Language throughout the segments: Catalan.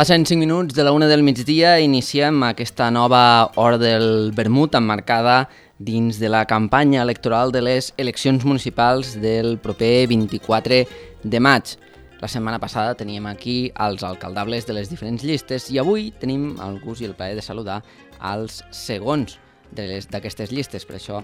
Passen 5 minuts de la 1 del migdia i iniciem aquesta nova hora del vermut emmarcada dins de la campanya electoral de les eleccions municipals del proper 24 de maig. La setmana passada teníem aquí els alcaldables de les diferents llistes i avui tenim el gust i el plaer de saludar als segons d'aquestes llistes. Per això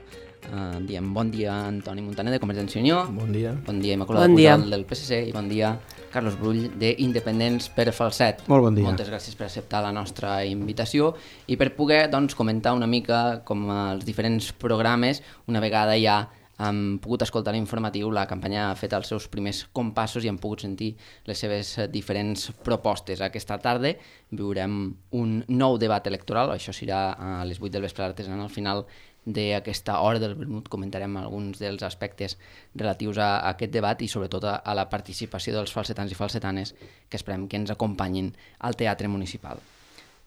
diem bon dia Antoni Montaner de Convergència i Unió. Bon dia. Bon dia Immaculada Pujol del PSC i bon dia Carlos Brull d'Independents per Falset. Molt bon dia. Moltes gràcies per acceptar la nostra invitació i per poder comentar una mica com els diferents programes, una vegada ja hem pogut escoltar l'informatiu, la campanya ha fet els seus primers compassos i hem pogut sentir les seves diferents propostes. Aquesta tarda viurem un nou debat electoral, això serà a les 8 del vespre artesanal. Al final d'aquesta hora del vermut comentarem alguns dels aspectes relatius a aquest debat i sobretot a la participació dels falsetans i falsetanes que esperem que ens acompanyin al Teatre Municipal.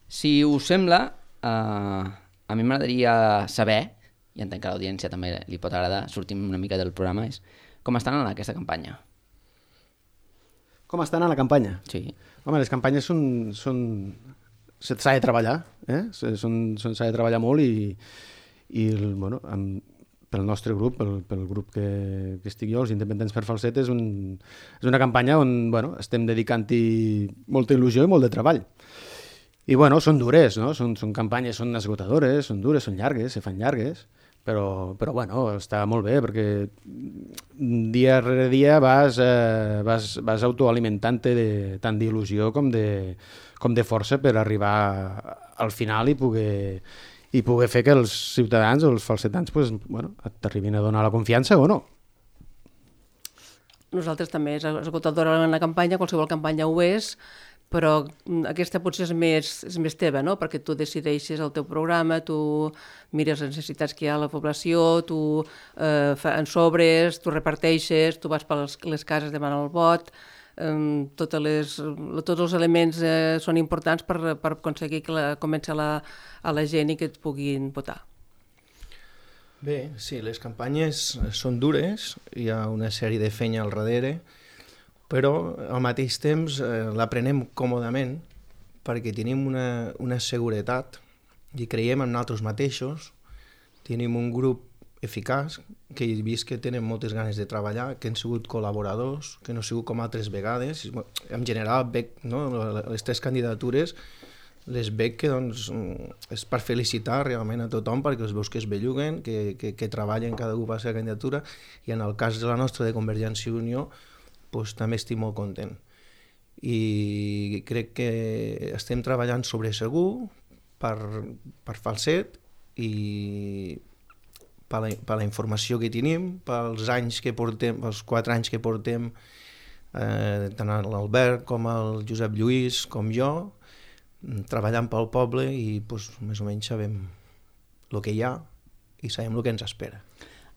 Si us sembla, a mi m'agradaria saber, i entenc que a l'audiència també li pot agradar, sortim una mica del programa, és com estan en aquesta campanya? Com estan a la campanya? Sí. Home, les campanyes s'ha de treballar, s'ha de treballar molt i pel nostre grup, pel grup que estic jo, els Independents per Falset, és una campanya on estem dedicant-hi molta il·lusió i molt de treball. I són dures, no? Són campanyes, són esgotadores, són dures, són llargues, se fan llargues, però està molt bé perquè dia rere dia vas autoalimentant-te tant d'il·lusió com de força per arribar al final i poder fer que els ciutadans o els falsetans t'arribin a donar la confiança o no. Nosaltres també és esgotadora en la campanya, qualsevol campanya ho és, però aquesta potser és més teva, no? Perquè tu decideixes el teu programa, tu mires les necessitats que hi ha a la població, tu en sobres, tu reparteixes, tu vas per les cases demanant el vot, tots els elements són importants per aconseguir que comenci a la gent i que et puguin votar. Bé, sí, les campanyes són dures, hi ha una sèrie de feina al darrere, però al mateix temps l'aprenem còmodament perquè tenim una seguretat i creiem en nosaltres mateixos, tenim un grup eficaç, que he vist que tenen moltes ganes de treballar, que han sigut col·laboradors, que no han sigut com altres vegades. En general, les 3 candidatures les veig que és per felicitar realment a tothom perquè els veus que es belluguen, que treballen cada un per la seva candidatura, i en el cas de la nostra de Convergència i Unió també estic molt content. I crec que estem treballant sobre segur per Falset i per la informació que tenim, pels anys que portem, pels 4 anys que portem, tant l'Albert com el Josep Lluís com jo, treballant pel poble i més o menys sabem el que hi ha i sabem el que ens espera.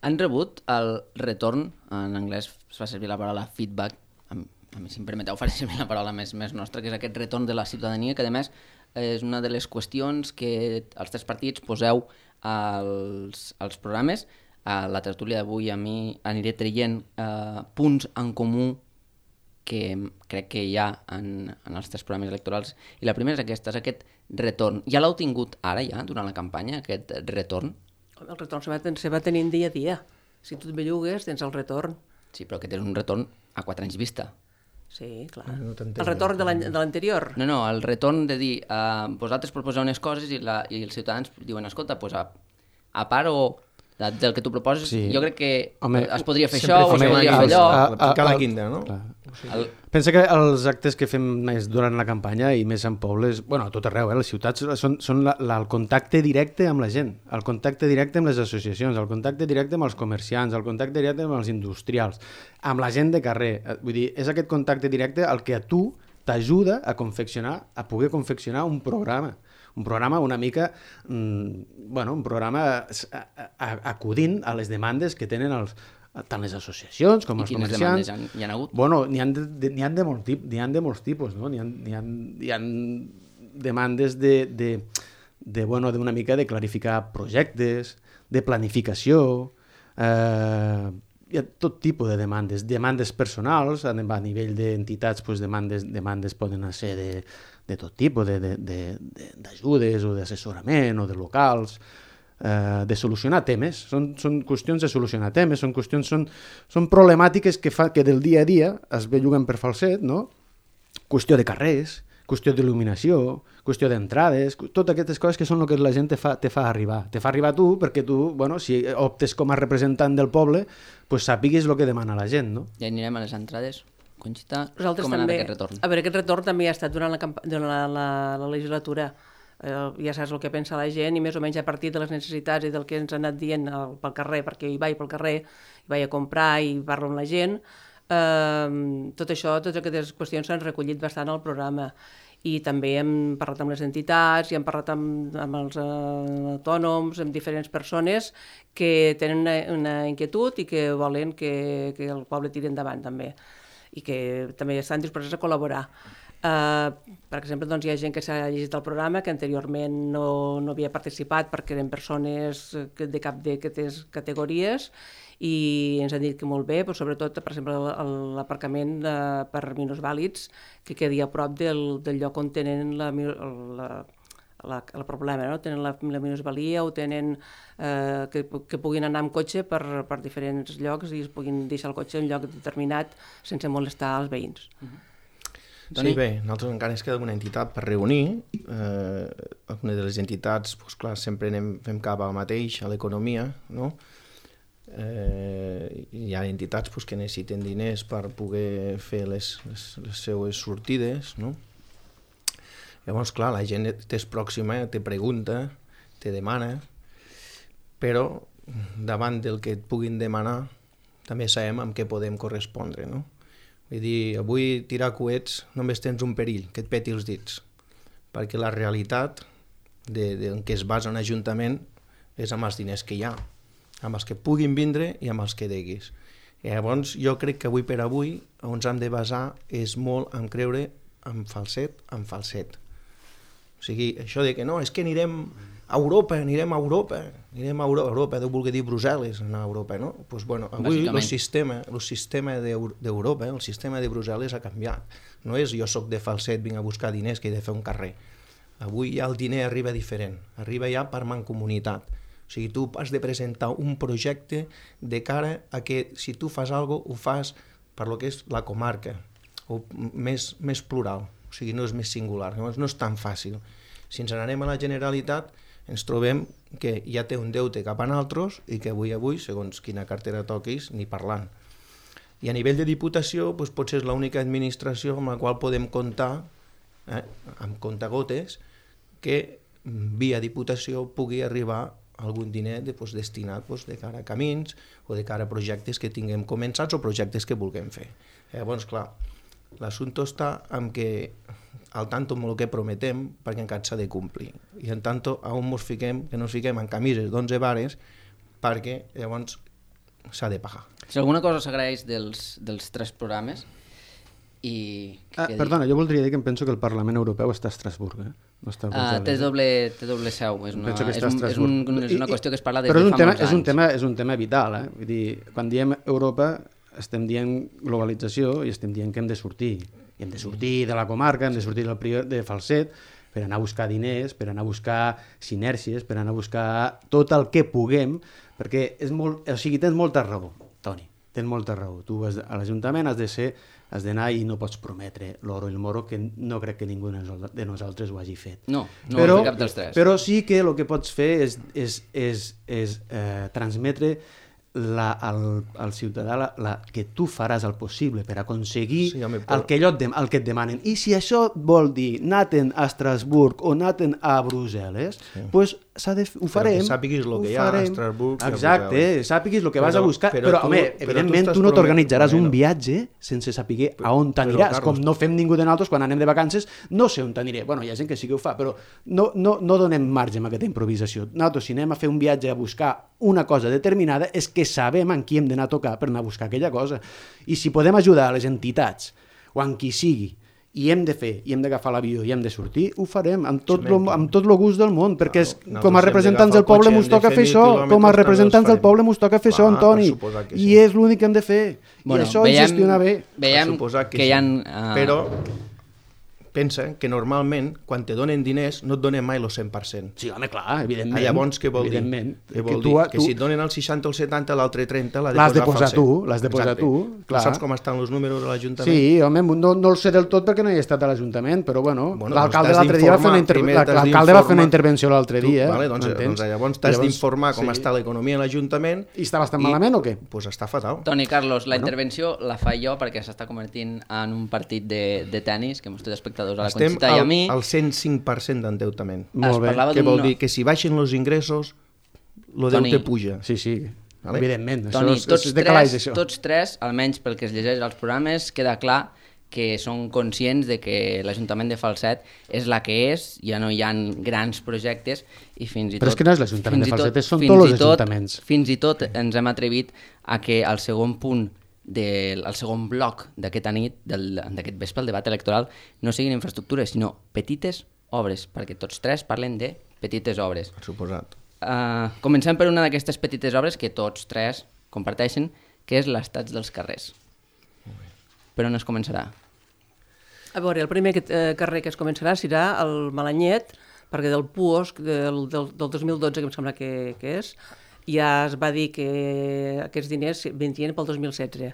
Han rebut el retorn, en anglès es fa servir la paraula feedback, a mi si em permeteu faré servir la paraula més nostra, que és aquest retorn de la ciutadania, que a més és una de les qüestions que els 3 partits poseu als programes. A la tertúlia d'avui a mi aniré traient punts en comú que crec que hi ha en els 3 programes electorals, i la primera és aquesta, és aquest retorn. Ja l'heu tingut ara, ja, durant la campanya, aquest retorn? El retorn se va tenint dia a dia. Si tu et bellugues, tens el retorn. Sí, però aquest és un retorn a 4 anys vista. Sí, clar. El retorn de l'anterior. No, el retorn de dir, vosaltres proposeu unes coses i els ciutadans diuen, escolta, a part o del que tu proposes, sí. Jo crec que es podria fer això o es podria fer allò. Picar la quinta, no? Pensa que els actes que fem més durant la campanya i més en pobles, a tot arreu, les ciutats són el contacte directe amb la gent, el contacte directe amb les associacions, el contacte directe amb els comerciants, el contacte directe amb els industrials, amb la gent de carrer. Vull dir, és aquest contacte directe el que a tu t'ajuda a poder confeccionar un programa Un programa una mica, un programa acudint a les demandes que tenen tant les associacions com els comerciants. I quines demandes hi ha hagut? Bueno, n'hi ha de molts tipus, no? N'hi ha demandes d'una mica de clarificar projectes, de planificació, hi ha tot tipus de demandes personals, a nivell d'entitats, demandes poden ser de tot tipus, d'ajudes o d'assessorament o de locals, de solucionar temes, són qüestions de solucionar temes, són problemàtiques que del dia a dia es belluguen per Falset, no? Qüestió de carrers, qüestió d'il·luminació, qüestió d'entrades, totes aquestes coses que són el que la gent te fa arribar. Te fa arribar tu perquè tu, si optes com a representant del poble, pues sàpigues el que demana la gent, no? Ja anirem a les entrades. Conxita, Nosaltres com ha anat també, aquest retorn? A veure, aquest retorn també ha estat durant la legislatura. Ja saps el que pensa la gent i més o menys a partir de les necessitats i del que ens ha anat dient pel carrer, perquè hi vaig pel carrer, hi vaig a comprar i parlo amb la gent. Tot això, totes aquestes qüestions s'han recollit bastant al programa i també hem parlat amb les entitats i hem parlat amb els autònoms, amb diferents persones que tenen una inquietud i que volen que el poble tiri endavant també i que també estan disposats a col·laborar. Per exemple, hi ha gent que s'ha llegit el programa que anteriorment no havia participat perquè eren persones de cap d'aquestes categories i ens han dit que molt bé, però sobretot, per exemple, l'aparcament per minusvàlids que quedi a prop del lloc on tenen el problema, no? Tenen la minusvalia o tenen que puguin anar amb cotxe per diferents llocs i es puguin deixar el cotxe en lloc determinat sense molestar els veïns. Sí, bé, nosaltres encara ens queda alguna entitat per reunir. Alguna de les entitats, doncs clar, sempre fem cap al mateix, a l'economia, no? Hi ha entitats que necessiten diners per poder fer les seues sortides, no? Llavors, clar, la gent t'és pròxima, te pregunta, te demana, però davant del que et puguin demanar també sabem amb què podem correspondre, no? Vull dir, avui tirar coets només tens un perill, que et peti els dits, perquè la realitat en què es basa un ajuntament és amb els diners que hi ha, amb els que puguin vindre i amb els que deguis. I llavors jo crec que avui per avui on ens hem de basar és molt en creure en Falset. O sigui, això de que no, és que anirem a Europa, Europa deu voler dir Brussel·les, anar a Europa, no? Doncs bueno, avui el sistema d'Europa, el sistema de Brussel·les ha canviat. No és jo soc de Falset, vinc a buscar diners que he de fer un carrer. Avui ja el diner arriba diferent, arriba ja per mancomunitat. O sigui, tu has de presentar un projecte de cara a que si tu fas alguna cosa, ho fas per lo que és la comarca, o més plural, o sigui, no és més singular, llavors no és tan fàcil. Si ens n'anem a la Generalitat, ens trobem que ja té un deute cap a nosaltres i que avui, segons quina cartera toquis, ni parlant. I a nivell de Diputació, doncs, potser és l'única administració amb la qual podem comptar, amb comptagotes, que via Diputació pugui arribar algun diner destinat de cara a camins o de cara a projectes que tinguem començats o projectes que vulguem fer. Llavors, clar, l'assumpte està en que al tanto amb el que prometem perquè encara s'ha de complir. I en tanto on ens fiquem, que no ens fiquem en camises d'11 vares perquè llavors s'ha de pagar. Si alguna cosa s'agraeix dels 3 programes i... Perdona, jo voldria dir que em penso que el Parlament Europeu està a Estrasburg, no està a Brussel·les. Té doble seu, és una qüestió que es parla des de fa molts anys. És un tema vital, Vull dir, quan diem Europa estem dient globalització i estem dient que hem de sortir. I hem de sortir de la comarca, hem de sortir de Falset per anar a buscar diners, per anar a buscar sinèrcies, per anar a buscar tot el que puguem, perquè tens molta raó, Toni, tens molta raó. Tu a l'Ajuntament has d'anar i no pots prometre l'oro i el moro, que no crec que ningú de nosaltres ho hagi fet. No ho ha fet cap dels 3. Però sí que el que pots fer és transmetre al ciutadà que tu faràs el possible per aconseguir Sí, home, el que et demanen. I si això vol dir anar-te'n a Estrasburg o anar-te'n a Brussel·les, doncs ho farem. que sàpiguis el que hi ha a Estrasburg i a Exacte, Brussel·les. sàpiguis el que vas a buscar. però Però, home, tu evidentment, estàs tu no t'organitzaràs un bueno. viatge sense saber a on t'aniràs. Carlos, Com no fem ningú de nosaltres quan anem de vacances, no sé on t'aniré. Bueno, hi ha gent que sí que ho fa, però no donem marge amb aquesta improvisació. Nosaltres, si anem a fer un viatge a buscar una cosa determinada, és que sabem en qui hem d'anar a tocar per anar a buscar aquella cosa. I si podem ajudar a les entitats o en qui sigui, i hem d'agafar l'avió i hem de sortir, ho farem amb tot el gust del món, perquè com a representants del poble mos toca fer això, com a representants del poble mos toca fer això, Antoni, i és l'únic que hem de fer, i això és gestionar bé. Veiem que hi ha... Però pensa que normalment, quan te donen diners, no et donen mai el 100%. Sí, home, clar, evidentment. Llavors, què vol dir? Què vol dir? Que si et donen el 60 o el 70, l'altre 30 l'has de posar tu, l'has de posar tu. Tu saps com estan els números de l'Ajuntament? Sí, home, no el sé del tot perquè no he estat a l'Ajuntament, però bueno, l'alcalde l'altre dia va fer una intervenció l'altre dia. Vale, doncs llavors t'has d'informar com està l'economia a l'Ajuntament. I està bastant malament o què? Doncs està fatal. Toni, Carlos, la intervenció la fa jo perquè s'està convertint en un partit de tennis, que mos té espectadors a la Conxita i a mi. Estem al 105% d'endeutament. Molt bé. Què vol dir? Que si baixen els ingressos, el deute puja. Sí, evidentment. Toni, tots tres, almenys pel que es llegeix als programes, queda clar que són conscients de que l'Ajuntament de Falset és la que és, ja no hi ha grans projectes i fins i tot... Però és que no és l'Ajuntament de Falset, són tots els ajuntaments. Fins i tot ens hem atrevit a que el segon punt el segon bloc d'aquesta nit, d'aquest vespre, el debat electoral, no siguin infraestructures, sinó petites obres, perquè tots tres parlen de petites obres. Per suposat. Comencem per una d'aquestes petites obres que tots tres comparteixen, que és l'estat dels carrers. Per on es començarà? A veure, el primer carrer que es començarà serà el Malanyet, perquè del PUOSC del 2012, que em sembla que és, ja es va dir que aquests diners venien pel 2016.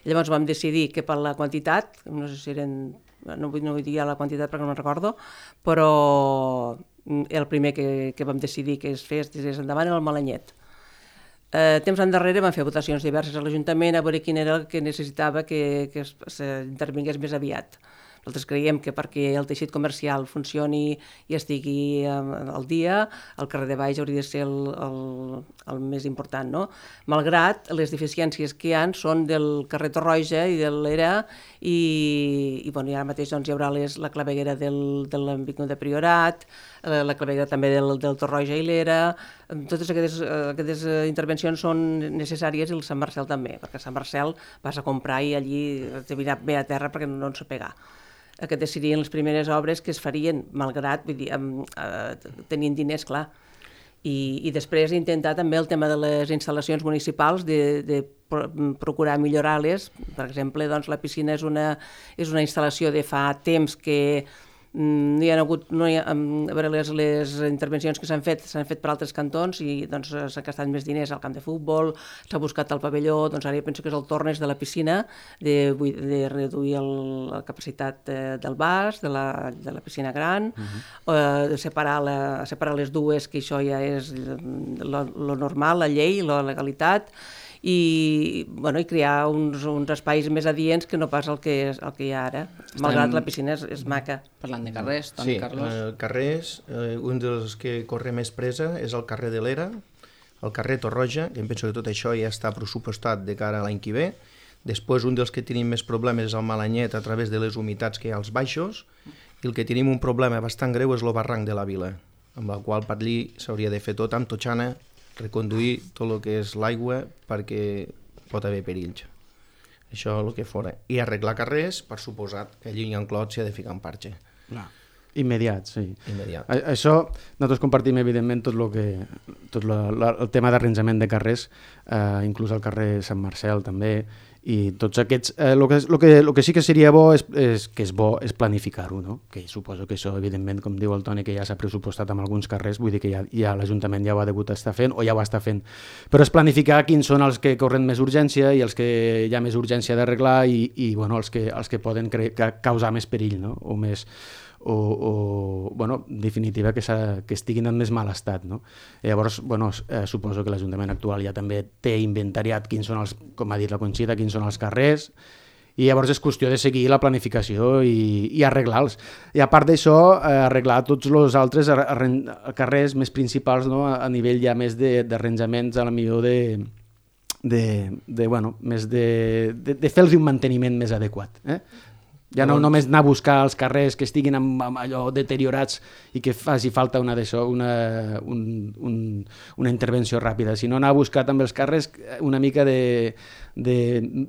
Llavors vam decidir que per la quantitat, no sé si eren, no vull dir la quantitat perquè no me'n recordo, però el primer que vam decidir que es fes endavant era el Malanyet. Temps endarrere vam fer votacions diverses a l'Ajuntament a veure quin era el que necessitava que s'intervingués més aviat. Nosaltres creiem que perquè el teixit comercial funcioni i estigui al dia, el carrer de Baix hauria de ser el més important, no? Malgrat les deficiències que hi ha són del carrer Torroja i de l'Era i ara mateix doncs, hi haurà la claveguera de l'Ambicnú de Priorat, la claveguera també del Torroja i l'Era. Totes aquestes intervencions són necessàries i el Sant Marcel també, perquè a Sant Marcel vas a comprar i allí te vindrà bé a terra perquè no ens pegar. Aquestes serien les primeres obres que es farien, malgrat, vull dir, tenint diners, clar. I després intentar també el tema de les instal·lacions municipals, de procurar millorar-les. Per exemple, doncs, la piscina és una instal·lació de fa temps que no hi ha hagut, a veure, les intervencions que s'han fet per altres cantons i doncs s'ha gastat més diners al camp de futbol, s'ha buscat el pavelló, doncs ara jo penso que és el torn de la piscina, de reduir la capacitat del vas, de la piscina gran, de separar les dues, que això ja és lo normal, la llei, la legalitat, i crear uns espais més adients que no pas el que hi ha ara, malgrat la piscina és maca. Parlant de carrers, Toni, Carlos. Sí, carrers, un dels que corre més presa és el carrer de l'Era, el carrer Torroja, que em penso que tot això ja està pressupostat de cara a l'any que ve. Després, un dels que tenim més problemes és el Malanyet a través de les humitats que hi ha als baixos, i el que tenim un problema bastant greu és el barranc de la Vila, amb el qual per allí s'hauria de fer tot amb totxana, reconduir tot el que és l'aigua perquè pot haver perills. Això és el que fora. I arreglar carrers, per suposat que allí hi ha un clot s'hi ha de ficar un parxe. Immediat, sí. Immediat. Això nosaltres compartim evidentment tot el tema d'arranjament de carrers, inclús el carrer Sant Marcel també, i tots aquests... El que sí que seria bo és planificar-ho, no? Que suposo que això, evidentment, com diu el Toni, que ja s'ha pressupostat amb alguns carrers, vull dir que ja l'Ajuntament ja ho ha degut estar fent o ja ho està fent. Però és planificar quins són els que corren més urgència i els que hi ha més urgència d'arreglar i els que poden causar més perill, no? o bueno, en definitiva, que estiguin en més mal estat, no? Llavors, bueno, suposo que l'Ajuntament actual ja també té inventariat quins són els, com ha dit la Conxita, quins són els carrers, i llavors és qüestió de seguir la planificació i arreglar-los. I a part d'això, arreglar tots els altres carrers més principals, no? A nivell ja més d'arranjaments, a la millor bueno, més de fer-los un manteniment més adequat. Ja no només anar a buscar els carrers que estiguin amb allò deteriorats i que faci falta una intervenció ràpida, sinó anar a buscar també els carrers una mica de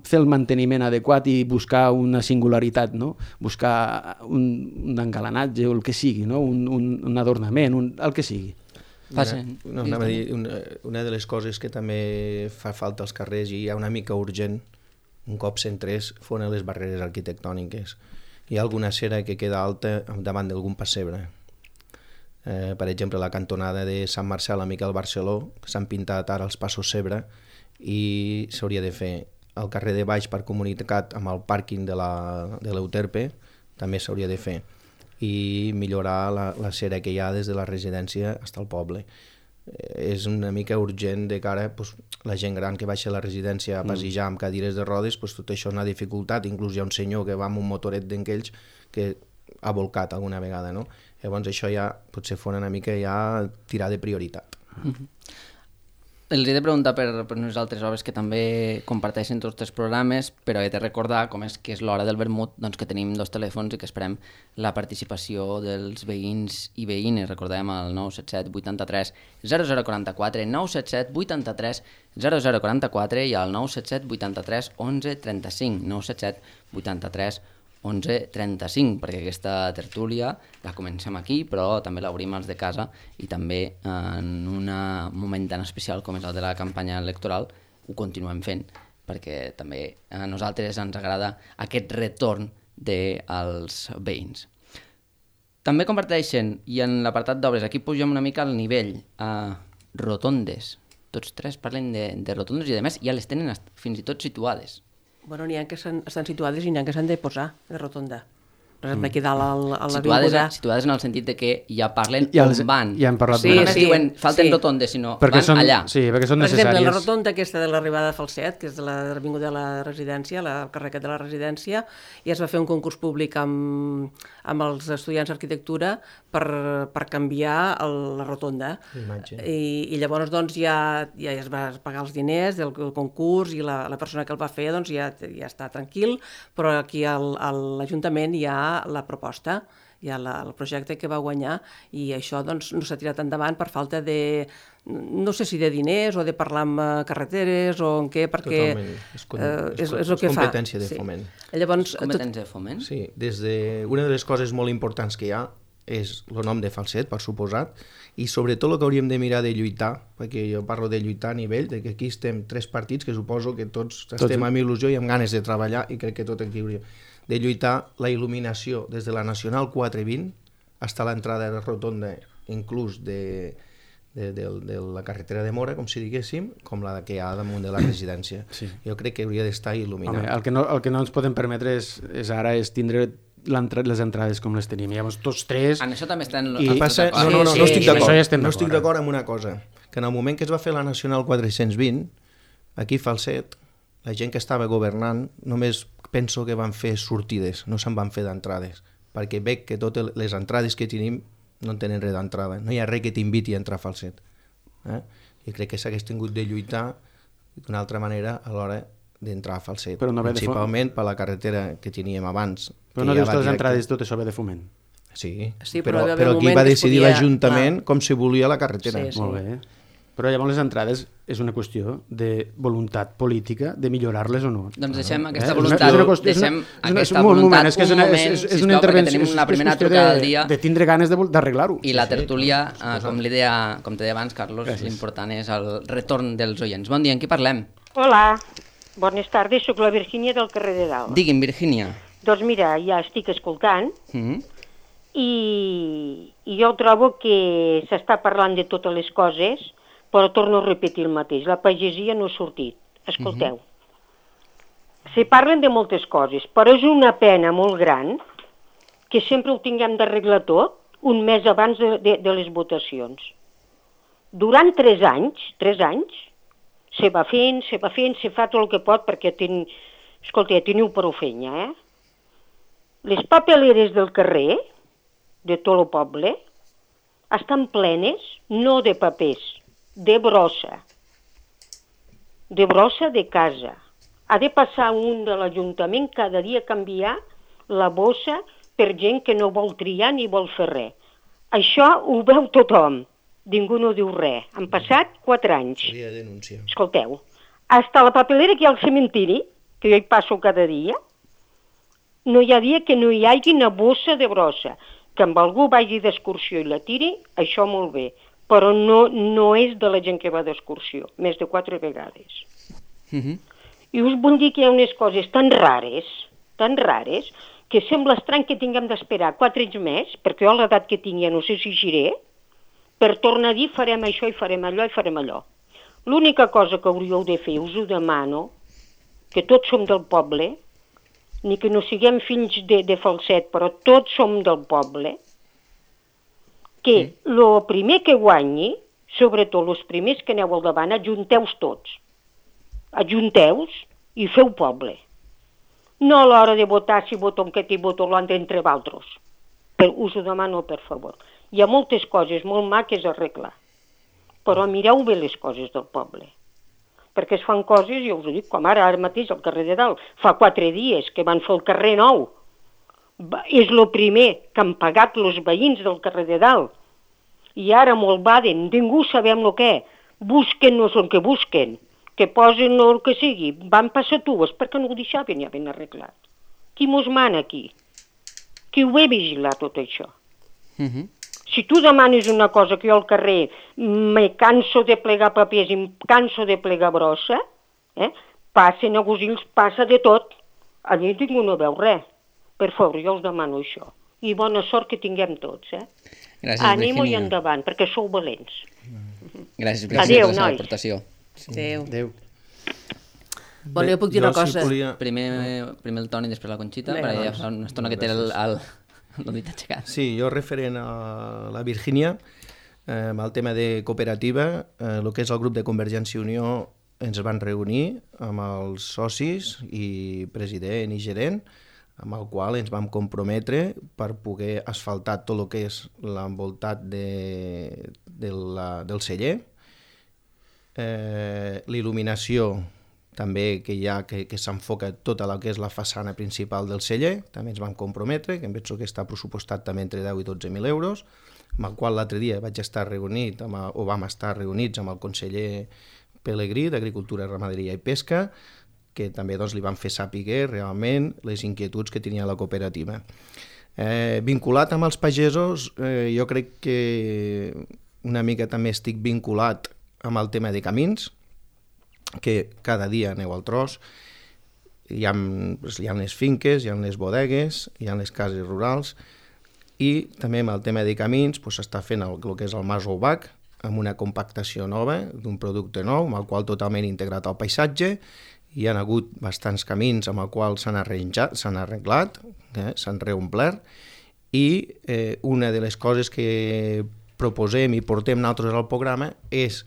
fer el manteniment adequat i buscar una singularitat, no? Buscar un engalanatge o el que sigui, no? Un adornament, el que sigui. Una de les coses que també fa falta als carrers i hi ha una mica urgent un cop s'entrés foren les barreres arquitectòniques. Hi ha alguna cera que queda alta davant d'algun pessebre. Per exemple, la cantonada de Sant Marcel a Miquel Barceló, s'han pintat ara els passos cebre i s'hauria de fer el carrer de baix per comunicat amb el pàrquing de l'Euterpe, també s'hauria de fer, i millorar la cera que hi ha des de la residència fins al poble. És una mica urgent de cara la gent gran que baixa a la residència a passejar amb cadires de rodes, tot això és una dificultat. Inclús hi ha un senyor que va amb un motoret d'enquells que ha volcat alguna vegada, no? Llavors això ja potser fora una mica ja tirar de prioritat. Els he de preguntar per unes altres obres que també comparteixen tots els programes, però he de recordar, com és que és l'hora del vermut, doncs que tenim 2 telèfons i que esperem la participació dels veïns i veïnes. Recordem el 977 83 0044, 977 83 0044 i el 977 83 11 35, 977 83 11 35, perquè aquesta tertúlia la comencem aquí, però també l'obrim als de casa i també en un moment tan especial com és el de la campanya electoral ho continuem fent, perquè també a nosaltres ens agrada aquest retorn dels veïns. També comparteixen, i en l'apartat d'obres, aquí pugem una mica el nivell, rotondes. Tots tres parlen de rotondes i a més ja les tenen fins i tot situades. Bueno, n'hi ha que estan situades i n'hi ha que s'han de posar de rotonda. Per exemple, aquí dalt a l'avinguda... Situades en el sentit de que ja parlen on van. Ja hem parlat no només diuen falten rotondes, sinó van allà. Sí, perquè són necessàries. Per exemple, la rotonda aquesta de l'arribada de Falset, que és de l'avinguda de la residència, el carrer de la residència, i es va fer un concurs públic amb els estudiants d'arquitectura per canviar la rotonda. I llavors doncs, ja es va pagar els diners del concurs i la persona que el va fer doncs, ja està tranquil, però aquí a l'Ajuntament hi ha la proposta, hi ha el projecte que va guanyar i això doncs, no s'ha tirat endavant per falta de, no sé si de diners o de parlar amb carreteres o en què, perquè és el que fa. Competència de foment. Llavors, competència de foment? Sí, una de les coses molt importants que hi ha és el nom de Falset, per suposat, i sobretot el que hauríem de mirar de lluitar, perquè jo parlo de lluitar a nivell, de que aquí estem 3 partits que suposo que tots estem amb il·lusió i amb ganes de treballar i crec que tot aquí hauria de lluitar la il·luminació des de la Nacional 420 fins a l'entrada de la rotonda, inclús de la carretera de Mora, com si diguéssim, com la que hi ha damunt de la residència. Sí. Jo crec que hauria d'estar il·luminat. Home, el que no ens podem permetre és tindre les entrades com les tenim. Llavors, tots tres... En això també estan... No estic d'acord. No estic d'acord amb una cosa, que en el moment que es va fer la Nacional 420, aquí a Falset, la gent que estava governant només penso que van fer sortides, no se'n van fer d'entrades, perquè veig que totes les entrades que tenim no tenen res d'entrada, no hi ha res que t'inviti a entrar a Falset. I crec que s'hagués tingut de lluitar d'una altra manera a l'hora d'entrar a Falset, principalment per la carretera que teníem abans. Però no dius que les entrades tot això ve de foment? Sí, però aquí va decidir l'Ajuntament com si volia la carretera. Molt bé. Però llavors les entrades és una qüestió de voluntat política, de millorar-les o no. Doncs deixem aquesta voluntat, un moment, sisplau, perquè tenim una primera trucada al dia. De tindre ganes d'arreglar-ho. I la tertúlia, com te deia abans, Carlos, l'important és el retorn dels oients. Bon dia, amb qui parlem? Hola, bones tardes, soc la Virgínia del carrer de Dalt. Digui'm, Virgínia. Doncs mira, ja estic escoltant i jo trobo que s'està parlant de totes les coses, però torno a repetir el mateix, la pagesia no ha sortit. Escolteu, se parlen de moltes coses, però és una pena molt gran que sempre ho tinguem d'arreglar tot un mes abans de les votacions. Durant 3 anys, se va fent, se fa tot el que pot perquè escolta, teniu prou feina, Les papeleres del carrer, de tot el poble, estan plenes, no de papers, de brossa de casa. Ha de passar un de l'Ajuntament cada dia a canviar la bossa per gent que no vol triar ni vol fer res. Això ho veu tothom, ningú no diu res. Han passat 4 anys. Seria denúncia. Escolteu, hasta la papelera que hi ha al cementiri, que jo hi passo cada dia, no hi ha dia que no hi hagi una bossa de brossa. Que amb algú vagi d'excursió i la tiri, això molt bé, però no és de la gent que va d'excursió, més de 4 vegades. I us vull dir que hi ha unes coses tan rares, que sembla estrany que tinguem d'esperar 4 anys més, perquè jo a l'edat que tinc ja no sé si giré, per tornar a dir farem això i farem allò i farem allò. L'única cosa que hauríeu de fer, us ho demano, que tots som del poble, ni que no siguem fills de falset, però tots som del poble, que el primer que guanyi, sobretot els primers que aneu al davant, ajunteu-vos tots. Ajunteu-vos i feu poble. No a l'hora de votar si voto aquest i voto l'altre entre vosaltres. Us ho demano, per favor. Hi ha moltes coses molt maques a arreglar, però mireu bé les coses del poble. Perquè es fan coses, jo us ho dic, com ara mateix al carrer de Dalt. Fa 4 dies que van fer el carrer nou. És el primer que han pagat els veïns del carrer de Dalt. I ara molt baden, ningú sabem el què. Busquen-nos el que busquen, que posen el que sigui. Van passar tues perquè no ho deixaven ja ben arreglat. Qui mos mana aquí? Qui ho ve vigilar tot això? Si tu demanes una cosa que jo al carrer me canso de plegar papers i em canso de plegar brossa, passen a Gosils, passa de tot. Allí ningú no veu res. Per favor, jo us demano això. I bona sort que tinguem tots. Gràcies, Anem-ho i Virginia. endavant, perquè sou valents. Gràcies, Adéu, per la nois. aportació. Adéu. Bueno, jo puc dir una cosa. Primer el Toni i després la Conxita, Vinga, perquè ja fa una estona que té el dit aixecat. Sí, jo referent a la Virgínia, amb el tema de cooperativa, el que és el grup de Convergència i Unió ens van reunir amb els socis i president i gerent, amb el qual ens vam comprometre per poder asfaltar tot el que és l'envoltat del celler, l'il·luminació també que hi ha, que s'enfoca tota la que és la façana principal del celler, també ens vam comprometre, que em penso que està pressupostat també entre 10 i 12.000 euros, amb el qual l'altre dia vaig estar reunit, o vam estar reunits amb el conseller Pelegrí d'Agricultura, Ramaderia i Pesca, que també doncs, li van fer sàpiga realment les inquietuds que tenia la cooperativa. Vinculat amb els pagesos, jo crec que una mica també estic vinculat amb el tema de camins, que cada dia aneu al tros, hi ha les finques, hi ha les bodegues, hi ha les cases rurals, i també amb el tema de camins s'està fent el que és el Mas Oubac, amb una compactació nova, d'un producte nou, amb el qual totalment integrat al paisatge. Hi ha hagut bastants camins amb el qual s'han arreglat, s'han reomplert, i una de les coses que proposem i portem nosaltres al programa és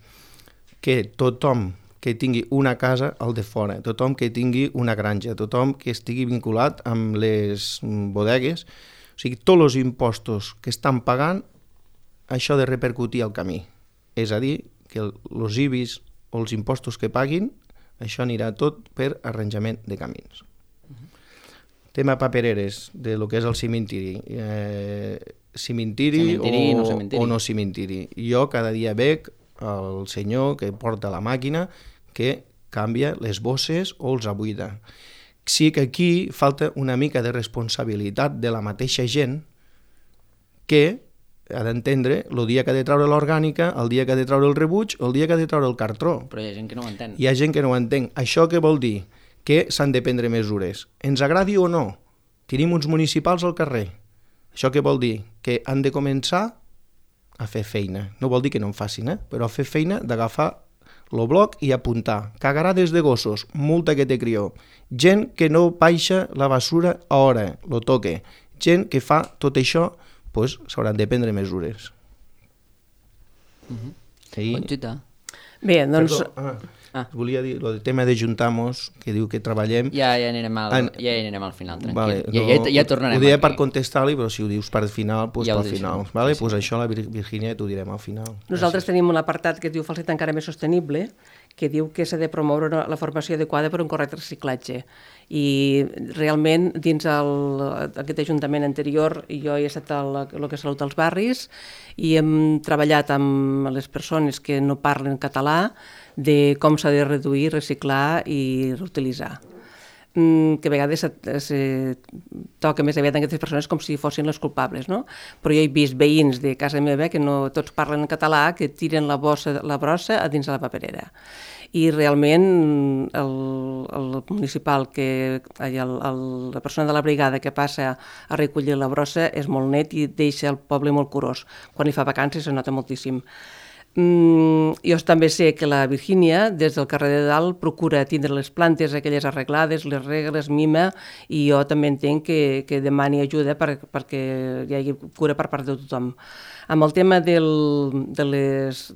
que tothom que tingui una casa al de fora, tothom que tingui una granja, tothom que estigui vinculat amb les bodegues, o sigui, tots els impostos que estan pagant, això de repercutir al camí. És a dir, que els IBIs o els impostos que paguin, això anirà tot per arranjament de camins. Tema papereres, de lo que és el cimentiri. Cimentiri o no cimentiri. Jo cada dia veig el senyor que porta la màquina que canvia les bosses o els abuida. Sí que aquí falta una mica de responsabilitat de la mateixa gent que ha d'entendre el dia que ha de treure l'orgànica, el dia que ha de treure el rebuig, el dia que ha de treure el cartró. Però hi ha gent que no ho entén. Hi ha gent que no ho entén. Això què vol dir? Que s'han de prendre mesures. Ens agradi o no, tenim uns municipals al carrer. Això què vol dir? Que han de començar a fer feina. No vol dir que no en facin, però a fer feina d'agafar el bloc i apuntar. Cagarades de gossos, multa que te crió. Gent que no baixa la basura a hora, lo toque. gent que fa tot això, doncs s'hauran de prendre mesures. Conxita. Bé, doncs... Volia dir, el tema de Juntamos, que diu que treballem... Ja anirem al final, tranquil. Vale, ja tornarem. Ho diré per contestar-li, però si ho dius per final, doncs ja pel final. Vale? Sí, sí. Pues això la Virgínia t'ho direm al final. Nosaltres tenim un apartat que es diu Falset encara més sostenible, que diu que s'ha de promoure la formació adequada per un correcte reciclatge. I realment, dins aquest ajuntament anterior, jo he estat el que és Salut als Barris i hem treballat amb les persones que no parlen català de com s'ha de reduir, reciclar i reutilitzar. Que a vegades se toca més aviat en aquestes persones com si fossin les culpables, no? Però jo he vist veïns de casa meva que no tots parlen en català, que tiren la brossa a dins de la paperera. I realment el municipal, la persona de la brigada que passa a recollir la brossa és molt net i deixa el poble molt curós. Quan hi fa vacances se nota moltíssim. Jo també sé que la Virgínia, des del carrer de dalt, procura tindre les plantes aquelles arreglades, les rega, les mima, i jo també entenc que demani ajuda perquè hi hagi cura per part de tothom. Amb el tema de les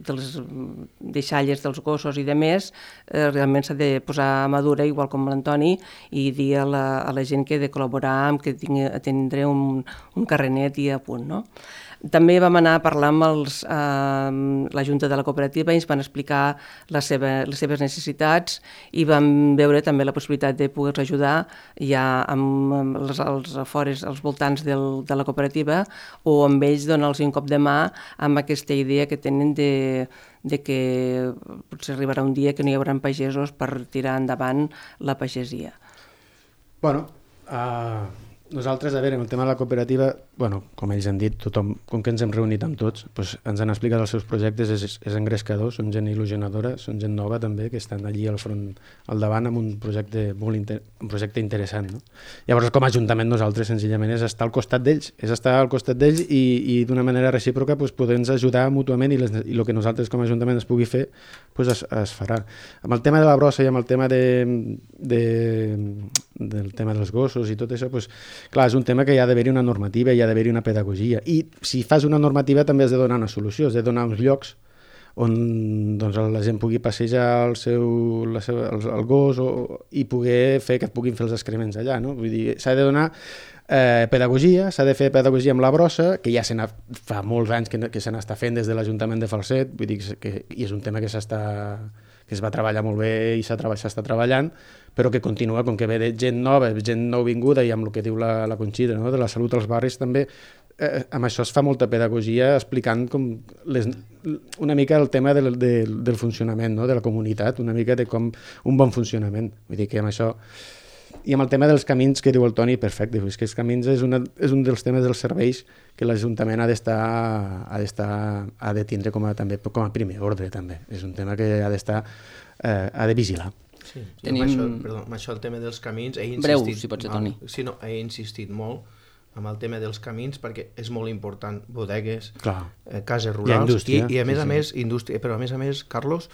deixalles dels gossos i de més, realment s'ha de posar madura, igual com l'Antoni, i dir a la gent que ha de col·laborar, que tindré un carrenet i a punt, no? També vam anar a parlar amb la Junta de la Cooperativa i ens van explicar les seves necessitats i vam veure també la possibilitat de poder-los ajudar ja amb els afores, als voltants de la cooperativa, o amb ells donar-los un cop de mà amb aquesta idea que tenen de que potser arribarà un dia que no hi haurà pagesos per tirar endavant la pagesia. Bueno, nosaltres, a veure, en el tema de la cooperativa, bueno, com ells han dit, tothom, com que ens hem reunit amb tots, doncs ens han explicat els seus projectes, és engrescador, són gent il·lusionadora, són gent nova també, que estan allí al front, al davant, amb un projecte interessant, no? Llavors, com a Ajuntament, nosaltres, senzillament, és estar al costat d'ells, i d'una manera recíproca poder-nos ajudar mútuament, i el que nosaltres com a Ajuntament es pugui fer, es farà. Amb el tema de la brossa i amb el tema del tema dels gossos i tot això, clar, és un tema que hi ha d'haver-hi una normativa, hi ha d'haver-hi una pedagogia, i si fas una normativa també has de donar una solució, has de donar uns llocs on doncs, la gent pugui passejar el gos i poder fer que puguin fer els excrements allà, no? Vull dir, s'ha de donar pedagogia, s'ha de fer pedagogia amb la brossa, que ja fa molts anys que se n'està fent des de l'Ajuntament de Falset, vull dir que és un tema que es va treballar molt bé i s'està treballant, però que continua, com que ve de gent nouvinguda, i amb el que diu la Conxita, no? De la salut als barris també, amb això es fa molta pedagogia explicant una mica el tema del funcionament, no? De la comunitat, una mica de com un bon funcionament. Vull dir que amb això... I amb el tema dels camins que diu el Toni, perfecte, és que els camins és un dels temes dels serveis que l'Ajuntament ha de tindre com a primer ordre, també. És un tema que ha de vigilar. Sí, amb això el tema dels camins he insistit... Breu, si pot ser, Toni. Sí, no, he insistit molt amb el tema dels camins perquè és molt important, bodegues, cases rurals, i a més a més, indústria, però a més, Carlos,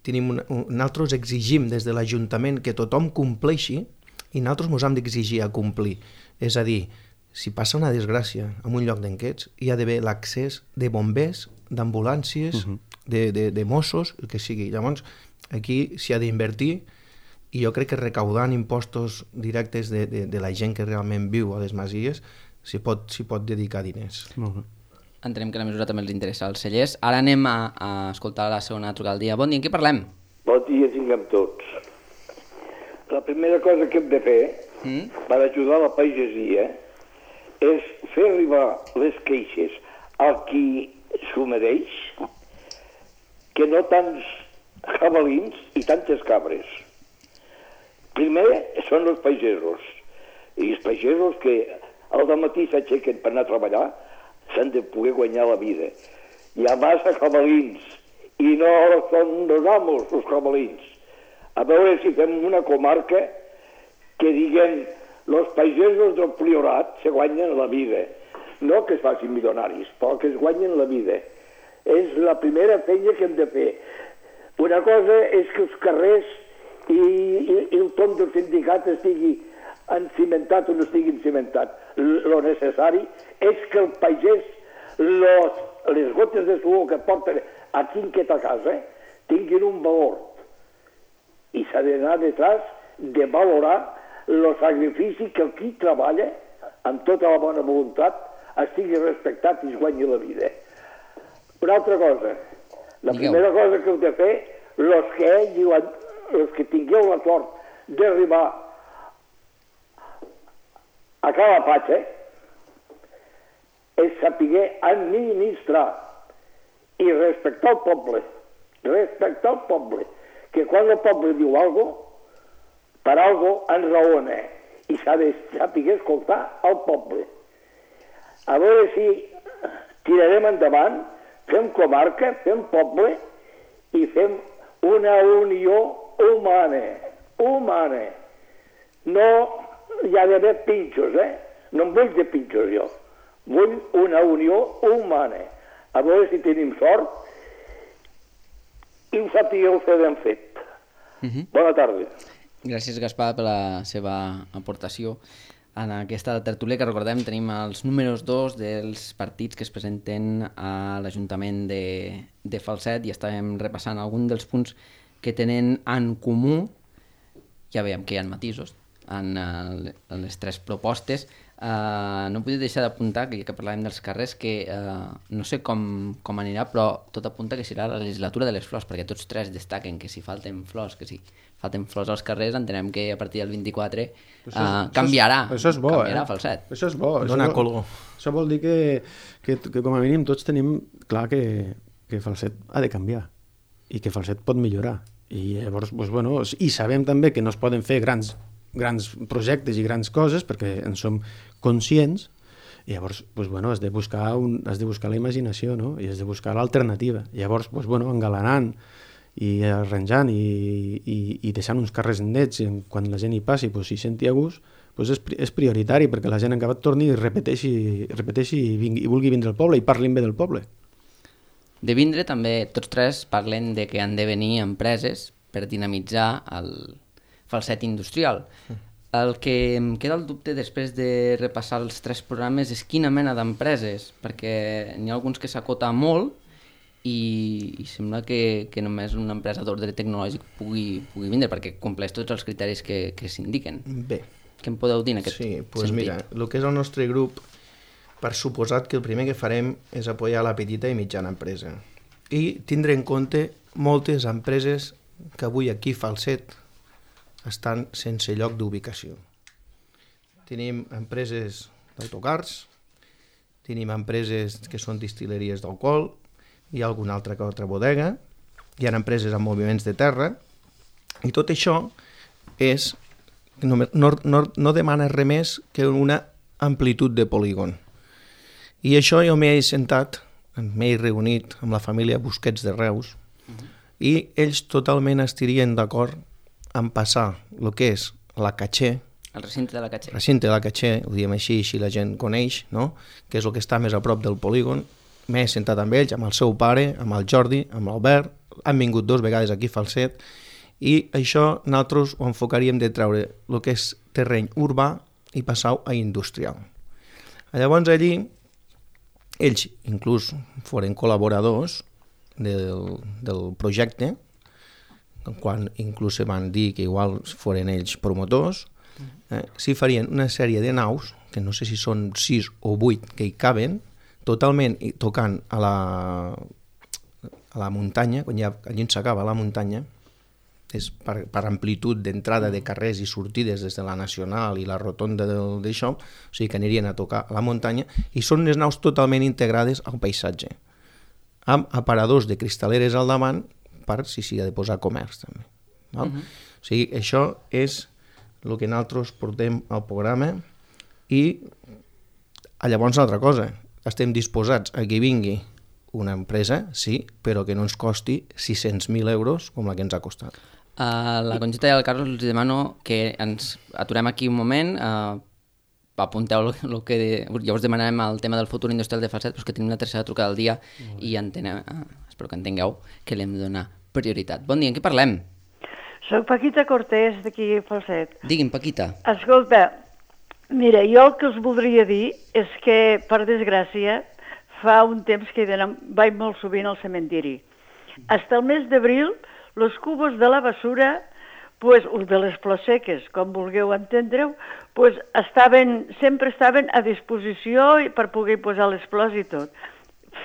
nosaltres exigim des de l'Ajuntament que tothom compleixi, i nosaltres ens hem d'exigir a complir. És a dir, si passa una desgràcia en un lloc d'enquests, hi ha d'haver l'accés de bombers, d'ambulàncies, de Mossos, el que sigui. Llavors, aquí s'hi ha d'invertir, i jo crec que recaudant impostos directes de la gent que realment viu a les masies s'hi pot dedicar diners. Molt bé. Entenem que la mesura també els interessa als cellers. Ara anem a escoltar la segona trucada del dia. Bon dia, en què parlem? Bon dia, tinguem tots. La primera cosa que hem de fer per ajudar la pagesia és fer arribar les queixes al qui s'ho mereix, que no tants jabalins i tantes cabres. Primer són els pagesos, i els pagesos que al dematí s'aixequen per anar a treballar s'han de poder guanyar la vida. Hi ha massa jabalins i no són els amos els jabalins. A veure si fem una comarca que diguem els pagesos del Priorat se guanyen la vida. No que es facin milionaris, però que es guanyen la vida. És la primera feina que hem de fer. Una cosa és que els carrers i el tom del sindicat estigui encimentat o no estigui encimentat. lo necessari és que el pagès les gotes de suor que porten a quinqueta casa tinguin un valor. I s'ha d'anar detrás de valorar el sacrifici que qui treballa amb tota la bona voluntat estigui respectat i es guanyi la vida. Una altra cosa, la primera cosa que heu de fer, els que tingueu la sort d'arribar a Calapatxa, és saber administrar i respectar el poble. Respectar el poble. Que quan el poble diu alguna cosa, per alguna cosa enraona. I s'ha de saber escoltar el poble. A veure si tirarem endavant, fem comarca, fem poble i fem una unió humana. Humana. No hi ha d'haver pinxos, No em vull de pinxos jo. Vull una unió humana. A veure si tenim sort i ho sapigueu fer ben fet. Bona tarda. Gràcies, Gaspar, per la seva aportació. En aquesta tertúlia que recordem tenim els números 2 dels partits que es presenten a l'Ajuntament de Falset i estàvem repassant algun dels punts que tenen en comú. Ja veiem que hi ha matisos en les tres propostes. No podia deixar d'apuntar, que parlàvem dels carrers, que no sé com anirà, però tot apunta que serà la legislatura de les flors, perquè tots tres destaquen que si falten flors, als carrers, entenem que a partir del 24 canviarà. Això és bo, canviarà Falset. Això és bo. Dona color. Això vol dir que com a mínim tots tenim clar que Falset ha de canviar i que Falset pot millorar. I llavors, i sabem també que no es poden fer grans projectes i grans coses perquè en som conscients i llavors has de buscar la imaginació, no? I has de buscar l'alternativa. Llavors, engalanant i arranjant i deixant uns carrers nets quan la gent hi passi s'hi senti a gust, és prioritari perquè la gent en acabat torni i repeteixi i vulgui vindre al poble i parlin bé del poble. De vindre també tots tres parlen de que han de venir empreses per dinamitzar el Falset industrial. El que em queda el dubte després de repassar els tres programes és quina mena d'empreses, perquè n'hi ha alguns que s'acota molt i sembla que només una empresa d'ordre tecnològic pugui vindre, perquè compleix tots els criteris que s'indiquen. Bé. Què em podeu dir en aquest sentit? Doncs mira, el que és el nostre grup, per suposat que el primer que farem és apoyar la petita i mitjana empresa i tindre en compte moltes empreses que avui aquí a Falset estan sense lloc d'ubicació. Tenim empreses d'autocars, tenim empreses que són distil·leries d'alcohol, hi ha alguna altra bodega, hi ha empreses amb moviments de terra, i tot això no demana res més que una amplitud de polígon. I això jo m'he sentat, m'he reunit amb la família Busquets de Reus, i ells totalment estarien d'acord en passar el que és la Catxer, el recinte de la Catxer. Recinte de la Catxer, ho diem així la gent coneix, no? Que és el que està més a prop del polígon. M'he sentat amb ells, amb el seu pare, amb el Jordi, amb l'Albert, han vingut 2 vegades aquí a Falset, i això nosaltres ho enfocaríem de treure el que és terreny urbà i passar-ho a industrial. Llavors allí, ells inclús foren col·laboradors del projecte, quan inclús se van dir que igual foren ells promotors, s'hi farien una sèrie de naus, que no sé si són 6 o 8 que hi caben, totalment tocant a la muntanya, quan allí s'acaba la muntanya, és per amplitud d'entrada de carrers i sortides des de la Nacional i la rotonda d'això, o sigui que anirien a tocar a la muntanya, i són unes naus totalment integrades al paisatge, amb aparadors de cristaleres al davant per si s'hi ha de posar comerç també. O sigui, això és el que nosaltres portem al programa i llavors una altra cosa, estem disposats a que vingui una empresa, sí, però que no ens costi 600.000 euros com la que ens ha costat. A la Conxita i al Carlos els demano que ens aturem aquí un moment, apunteu el que... Llavors demanarem el tema del futur industrial de Falset, però que tenim la tercera trucada del dia i espero que entengueu que li hem de donar prioritat. Bon dia, en què parlem? Soc Paquita Cortés, d'aquí a Falset. Digui'm, Paquita. Escolta, Mira, jo el que us voldria dir és que, per desgràcia, fa un temps que vaig molt sovint al cementiri. Hasta el mes d'abril, els cubos de la basura, pues, o de les flors seques, com vulgueu entendre-ho, pues, sempre estaven a disposició per poder posar les flors i tot.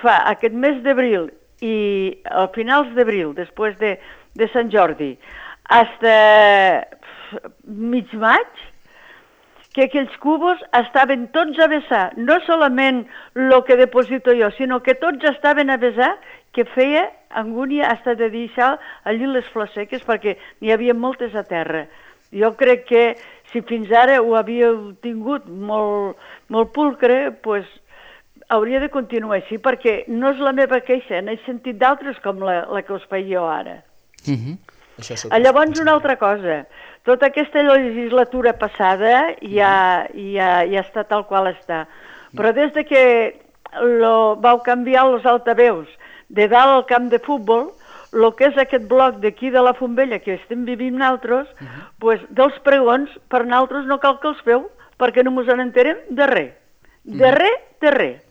Fa aquest mes d'abril i a finals d'abril, després de Sant Jordi, hasta mig maig, que aquells cubos estaven tots a vessar, no solament el que deposito jo, sinó que tots estaven a vessar, que feia angúnia hasta de deixar allí les flors seques, perquè n'hi havia moltes a terra. Jo crec que si fins ara ho havíeu tingut molt pulcre, pues, hauria de continuar així, perquè no és la meva queixa, n'he sentit d'altres com la que us faig jo ara. Llavors, una altra cosa, tota aquesta legislatura passada ja està tal qual està, però des de que vau canviar els altaveus de dalt al camp de futbol, el que és aquest bloc d'aquí de la Fontbella que estem vivint nosaltres, pues, dels pregons, per nosaltres no cal que els feu, perquè no ens n'enterem de res. De res.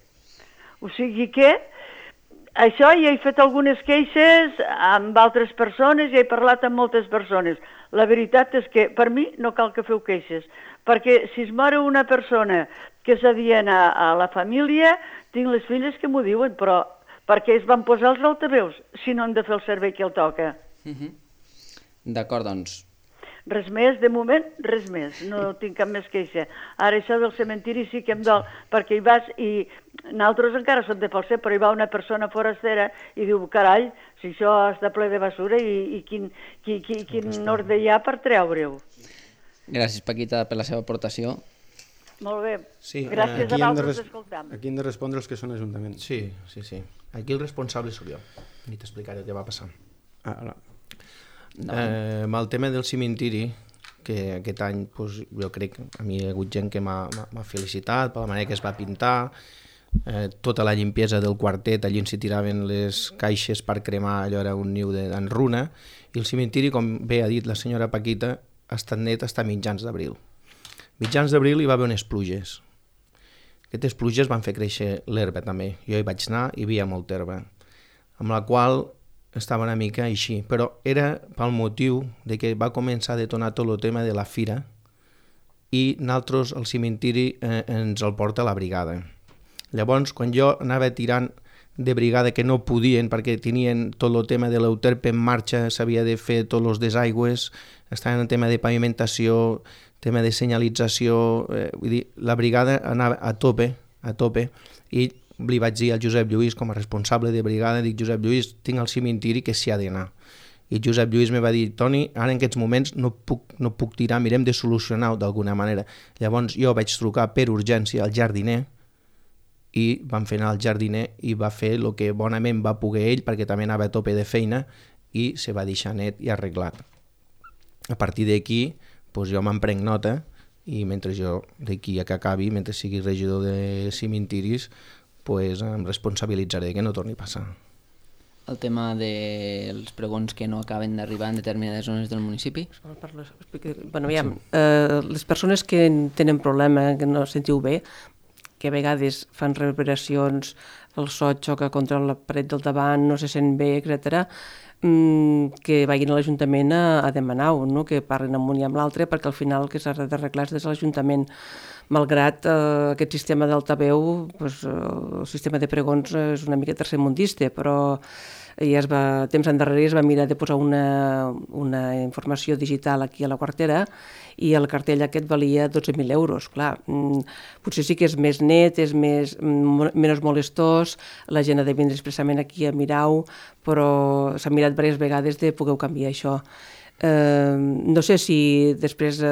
O sigui que això ja he fet algunes queixes amb altres persones, ja he parlat amb moltes persones. La veritat és que per mi no cal que feu queixes, perquè si es mor una persona que és adiena a la família, tinc les filles que m'ho diuen, però perquè es van posar els altaveus si no han de fer el servei que el toca. D'acord, doncs. Res més, de moment, res més. No tinc cap més queixa. Ara això del cementiri sí que em dol, perquè hi vas i nosaltres encara som de Falset, però hi va una persona forastera i diu, carai, si això està ple de basura i quin ordre hi ha per treure-ho. Gràcies, Paquita, per la seva aportació. Molt bé. Sí, gràcies a vosaltres d'escoltar-me. Aquí hem de respondre els que són l'Ajuntament. Sí. Aquí el responsable sóc jo. Ni t'explicaré què va passar. Amb el tema del cementiri, que aquest any doncs, jo crec que a mi hi ha hagut gent que m'ha felicitat per la manera que es va pintar, tota la limpiesa del quartet, allí on s'hi tiraven les caixes per cremar, allò era un niu d'enruna, i el cementiri, com bé ha dit la senyora Paquita, ha estat net fins a mitjans d'abril. Mitjans d'abril hi va haver unes pluges. Aquestes pluges van fer créixer l'herba també. Jo hi vaig anar i hi havia molta herba, amb la qual estava una mica així, però era pel motiu de que va començar a detonar tot el tema de la fira i nosaltres el cementiri ens el porta la brigada. Llavors, quan jo anava tirant de brigada que no podien perquè tenien tot el tema de l'euterpe en marxa, s'havia de fer tots els desaigües, estaven en tema de pavimentació, tema de senyalització, vull dir, la brigada anava a tope, i li vaig dir al Josep Lluís, com a responsable de brigada, dic, Josep Lluís, tinc el cementiri que s'hi ha d'anar. I Josep Lluís me va dir, Toni, ara en aquests moments no puc tirar, mirem de solucionar-ho d'alguna manera. Llavors jo vaig trucar per urgència al jardiner i vam fer anar al jardiner i va fer el que bonament va poder ell, perquè també anava a tope de feina, i se va deixar net i arreglat. A partir d'aquí, doncs jo me'n prenc nota i mentre jo, d'aquí a que acabi, mentre sigui regidor de cementiris, pues em responsabilitzaré que no torni a passar. El tema dels pregons que no acaben d'arribar en determinades zones del municipi? Bueno, aviam, les persones que tenen problema, que no sentiu bé, que a vegades fan reverberacions, el so xoca contra la paret del davant, no se sent bé, etc., que vagin a l'Ajuntament a demanar-ho, no? Que parlin amb un i amb l'altre, perquè al final el que s'ha d'arreglar és des de l'Ajuntament. Malgrat aquest sistema d'altaveu, doncs, el sistema de pregons és una mica tercermundista, però ja temps endarrere es va mirar de posar una informació digital aquí a la quartera i el cartell aquest valia 12.000 euros. Clar, potser sí que és més net, és menys molestós, la gent ha de vindre expressament aquí a mirar-ho, però s'ha mirat diverses vegades de poder canviar això. No sé si després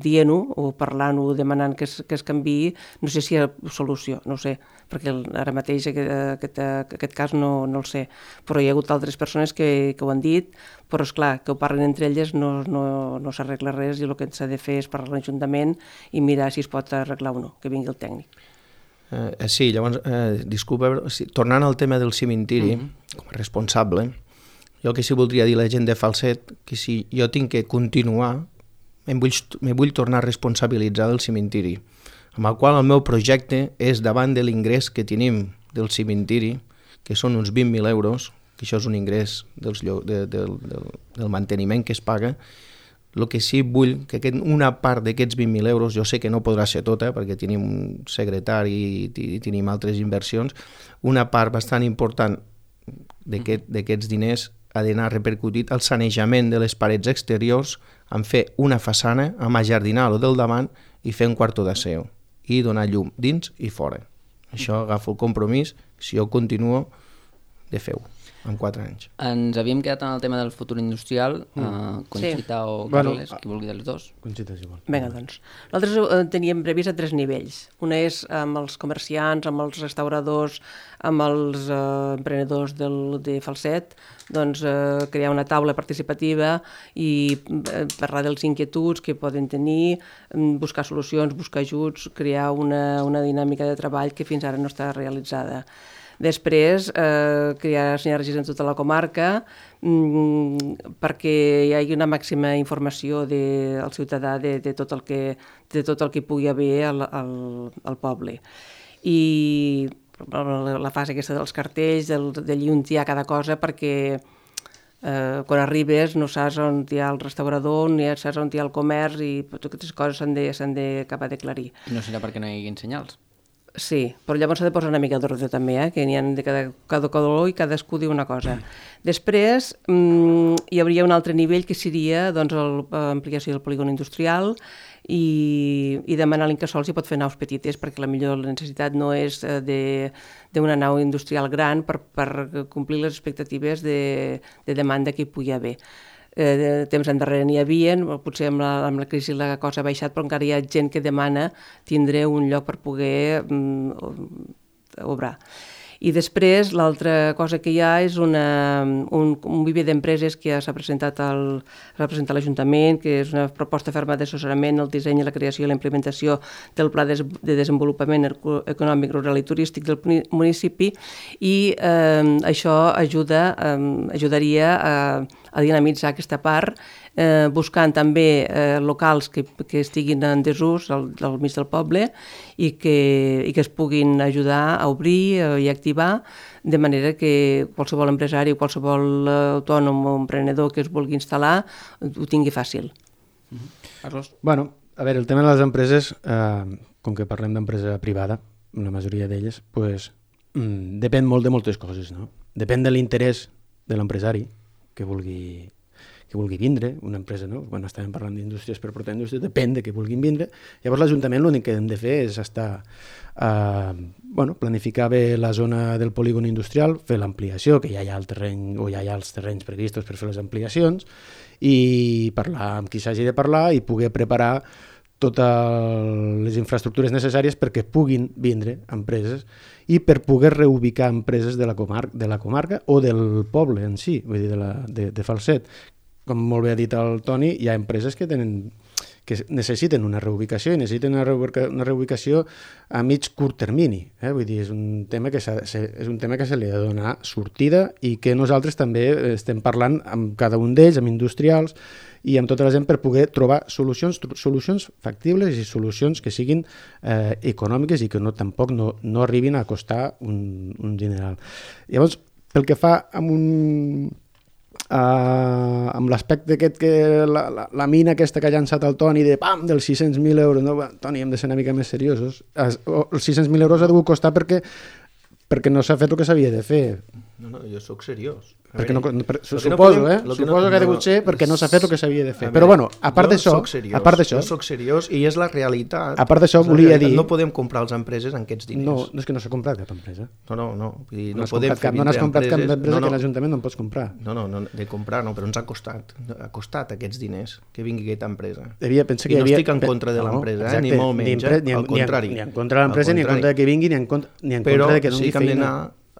dient-ho o parlant-ho, demanant que es canviï, no sé si hi ha solució, no sé, perquè ara mateix aquest cas no el sé, però hi ha hagut altres persones que ho han dit, però esclar, que ho parlen entre elles no s'arregla res i el que s'ha de fer és parlar a l'Ajuntament i mirar si es pot arreglar o no, que vingui el tècnic. Sí, llavors, disculpa, tornant al tema del cementiri, com a responsable, jo que sí voldria dir a la gent de Falset que si jo tinc que continuar me vull tornar a responsabilitzar del cimentiri, amb el qual el meu projecte és davant de l'ingrés que tenim del cimentiri, que són uns 20.000 euros, que això és un ingrés del manteniment que es paga. El que sí vull, que una part d'aquests 20.000 euros, jo sé que no podrà ser tota, perquè tenim un secretari i tenim altres inversions, una part bastant important d'aquests diners ha d'anar repercutit al sanejament de les parets exteriors, en fer una façana, amb ajardinar lo del davant i fer un quarto d'aseo i donar llum dins i fora. Això agafo el compromís, si jo continuo, de fer-ho en 4 anys. Ens havíem quedat en el tema del futur industrial. Conxita o Carles, qui vulgui dels dos. Conxita, si vol. Vinga, doncs. Nosaltres teníem previst a 3 nivells. Una és amb els comerciants, amb els restauradors, amb els emprenedors de Falset, doncs crear una taula participativa i parlar dels inquietuds que poden tenir, buscar solucions, buscar ajuts, crear una dinàmica de treball que fins ara no està realitzada. Després, crear sinergies en tota la comarca perquè hi hagi una màxima informació al ciutadà de tot el que pugui haver al poble. I la fase aquesta dels cartells, d'allí on hi ha cada cosa, perquè quan arribes no saps on hi ha el restaurador, ni saps on hi ha el comerç, i totes aquestes coses s'han d'acabar d'aclarir. No serà perquè no hi hagi senyals? Sí, però llavors s'ha de posar una mica d'ordre també, que n'hi ha de cada color i cadascú diu una cosa. Després hi hauria un altre nivell que seria l'ampliació del polígon industrial i demanar a l'Incasòl si pot fer naus petites, perquè la necessitat no és d'una nau industrial gran per complir les expectatives de demanda que hi pugui haver. Temps endarrere n'hi havia, potser amb la crisi la cosa ha baixat, però encara hi ha gent que demana tindre un lloc per poder obrar. I després l'altra cosa que hi ha és un viver d'empreses que s'ha presentat a l'Ajuntament, que és una proposta ferma d'assessorament, el disseny, la creació i la implementació del Pla de Desenvolupament Econòmic, Rural i Turístic del municipi, i això ajudaria a dinamitzar aquesta part, buscant també locals que estiguin en desús al mig del poble i que es puguin ajudar a obrir i activar, de manera que qualsevol empresari o qualsevol autònom o emprenedor que es vulgui instal·lar ho tingui fàcil. Carlos? Bueno, a veure, el tema de les empreses, com que parlem d'empresa privada, la majoria d'elles, pues, depèn molt de moltes coses, no? Depèn de l'interès de l'empresari que vulgui vindre, una empresa, no? Quan estàvem parlant d'indústries per portar indústries, depèn de què vulguin vindre. Llavors l'Ajuntament l'únic que hem de fer és planificar bé la zona del polígon industrial, fer l'ampliació, que ja hi ha el terreny o ja hi ha els terrenys previstos per fer les ampliacions, i parlar amb qui s'hagi de parlar i poder preparar totes les infraestructures necessàries perquè puguin vindre empreses i per poder reubicar empreses de la comarca o del poble en si, vull dir, de Falset. Com molt bé ha dit el Toni, hi ha empreses que necessiten una reubicació i necessiten una reubicació a mig-curt termini. Vull dir, és un tema que se li ha de donar sortida i que nosaltres també estem parlant amb cada un d'ells, amb industrials i amb tota la gent per poder trobar solucions factibles i solucions que siguin econòmiques i que tampoc no arribin a costar un dineral. Llavors, pel que fa amb l'aspecte aquest que la mina aquesta que ha llançat el Toni dels 600.000 euros, no? Toni, hem de ser una mica més seriosos. Els 600.000 euros ha de costar perquè no s'ha fet el que s'havia de fer. No, jo sóc seriós. Suposo que ha degut ser perquè no s'ha fet el que s'havia de fer. Però bueno, a part d'això... Jo soc seriós i és la realitat. A part d'això, volia dir... No podem comprar les empreses amb aquests diners. No, és que no s'ha comprat cap empresa. No has podem fer no has comprat cap empresa que l'Ajuntament no en pots comprar. No, de comprar no, però ens ha costat aquests diners que vingui aquesta empresa. I no estic en contra de l'empresa, ni molt menys, al contrari. Ni en contra de l'empresa, ni en contra de que vingui, ni en contra de que no doni feina.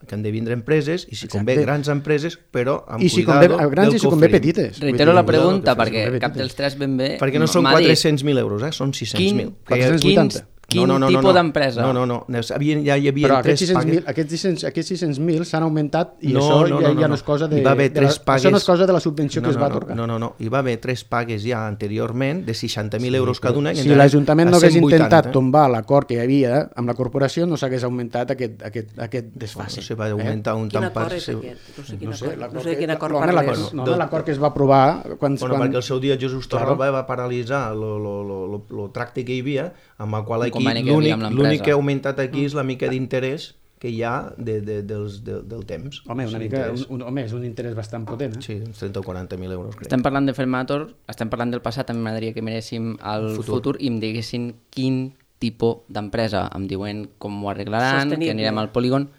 Que han de vindre empreses, i si convé grans empreses, però amb cuidado del cofre. I si convé petites. Reitero la pregunta, perquè cap dels tres ben bé... Perquè no són 400.000 euros, són 600.000. Quin tipus d'empresa? No. Ja hi havia però tres pagues. Aquests 600.000 s'han augmentat i això ja no és cosa de... Això no és cosa de la subvenció que es va atorgar. No. Hi va haver 3 pagues ja anteriorment de 60.000 euros cada una. Si l'Ajuntament no hagués intentat tombar l'acord que hi havia amb la corporació, no s'hagués augmentat aquest desfase. Se va augmentar un tant per... No sé de quin acord parles. L'acord que es va aprovar... Perquè el seu dia Jesús Torralba va paralitzar el tracte que hi havia, amb el qual aquí l'únic que ha augmentat aquí és la mica d'interès que hi ha del temps. Home, és un interès bastant potent. Sí, uns 30 o 40.000 euros, crec. Estem parlant de Fermator, estem parlant del passat, a mi m'agradaria que miréssim el futur i em diguessin quin tipus d'empresa. Em diuen com ho arreglaran, que anirem al polígon.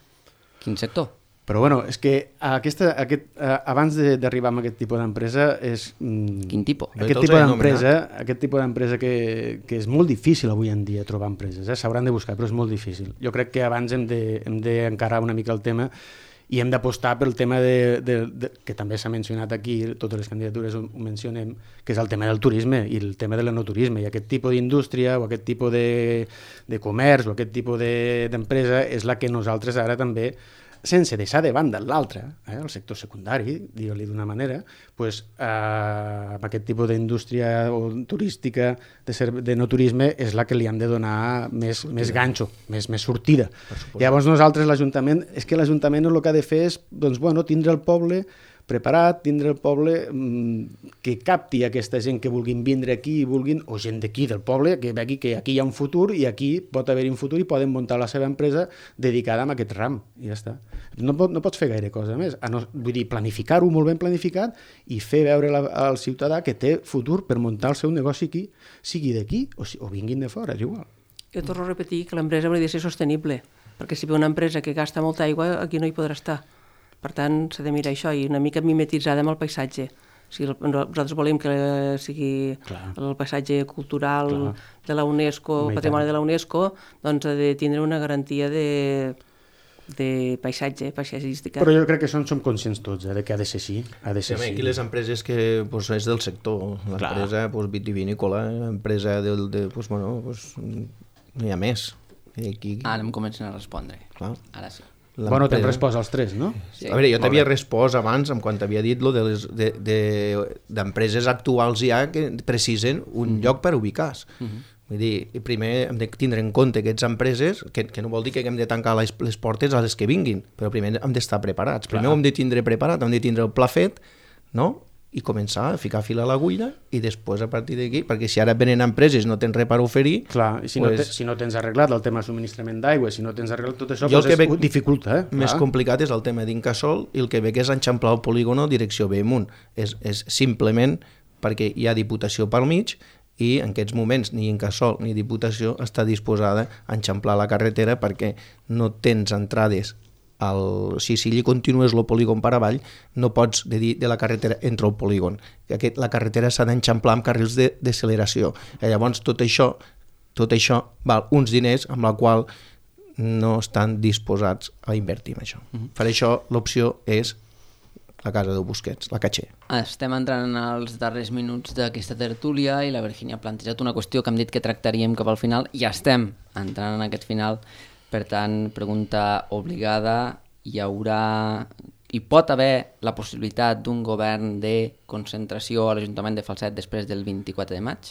Quin sector? Però bueno, és que abans d'arribar a aquest tipus d'empresa és... Quin tipus? Aquest tipus d'empresa que és molt difícil avui en dia trobar empreses, s'hauran de buscar, però és molt difícil. Jo crec que abans hem d'encarar una mica el tema i hem d'apostar pel tema que també s'ha mencionat aquí, totes les candidatures ho mencionem, que és el tema del turisme i el tema de l'enoturisme, i aquest tipus d'indústria o aquest tipus de comerç o aquest tipus d'empresa és la que nosaltres ara també, sense deixar de banda l'altre, el sector secundari, digue-li d'una manera, amb aquest tipus d'indústria turística, de no turisme, és la que li hem de donar més ganxo, més sortida. Llavors nosaltres, l'Ajuntament, és que l'Ajuntament el que ha de fer és tindre el poble preparat, tindre el poble que capti aquesta gent que vulguin vindre aquí o gent d'aquí del poble, que vegi que aquí hi ha un futur i aquí pot haver-hi un futur i poden muntar la seva empresa dedicada a aquest ram, i ja està. No pots fer gaire cosa més, vull dir, planificar-ho molt ben planificat i fer veure al ciutadà que té futur per muntar el seu negoci aquí, sigui d'aquí o vinguin de fora, és igual. Jo torno a repetir que l'empresa hauria de ser sostenible, perquè si ve una empresa que gasta molta aigua, aquí no hi podrà estar. Per tant, s'ha de mirar això i una mica mimetitzada amb el paisatge. Nosaltres volem que sigui el paisatge cultural de la UNESCO, el patrimoni de la UNESCO, doncs ha de tindre una garantia de paisatgística. Però jo crec que som conscients tots de que ha de ser així. Aquí les empreses que és del sector, l'empresa vitivinícola, l'empresa no hi ha més. Ara em comencen a respondre. Ara sí. Bueno, t'hem respost als 3, no? Sí. A veure, jo t'havia respost abans, quan t'havia dit d'empreses actuals ja que precisen un lloc per ubicar-se. Vull dir, primer hem de tindre en compte aquestes empreses, que no vol dir que hem de tancar les portes a les que vinguin, però primer hem d'estar preparats. Primer ho hem de tindre preparat, hem de tindre el pla fet, no?, i començar a ficar fil a l'agulla i després a partir d'aquí, perquè si ara venen empreses i no tens res per oferir... Clar, i si no tens arreglat el tema de subministrament d'aigua, si no tens arreglat tot això, doncs dificulta. Més complicat és el tema d'Incasòl i el que ve que és enxamplar el polígono direcció Bellmunt. És simplement perquè hi ha Diputació pel mig i en aquests moments ni Incasòl ni Diputació està disposada a enxamplar la carretera perquè no tens entrades. Si allí continues el polígon per avall, no pots dir de la carretera entre el polígon. La carretera s'ha d'enxamplar amb carrils de deceleració. Llavors tot això val uns diners amb la qual no estan disposats a invertir en això. Per això l'opció és la casa de Busquets, la Caché. Estem entrant als darrers minuts d'aquesta tertúlia i la Virgínia ha plantejat una qüestió que hem dit que tractaríem cap al final i ja estem entrant en aquest final. Per tant, pregunta obligada, hi pot haver la possibilitat d'un govern de concentració a l'Ajuntament de Falset després del 24 de maig?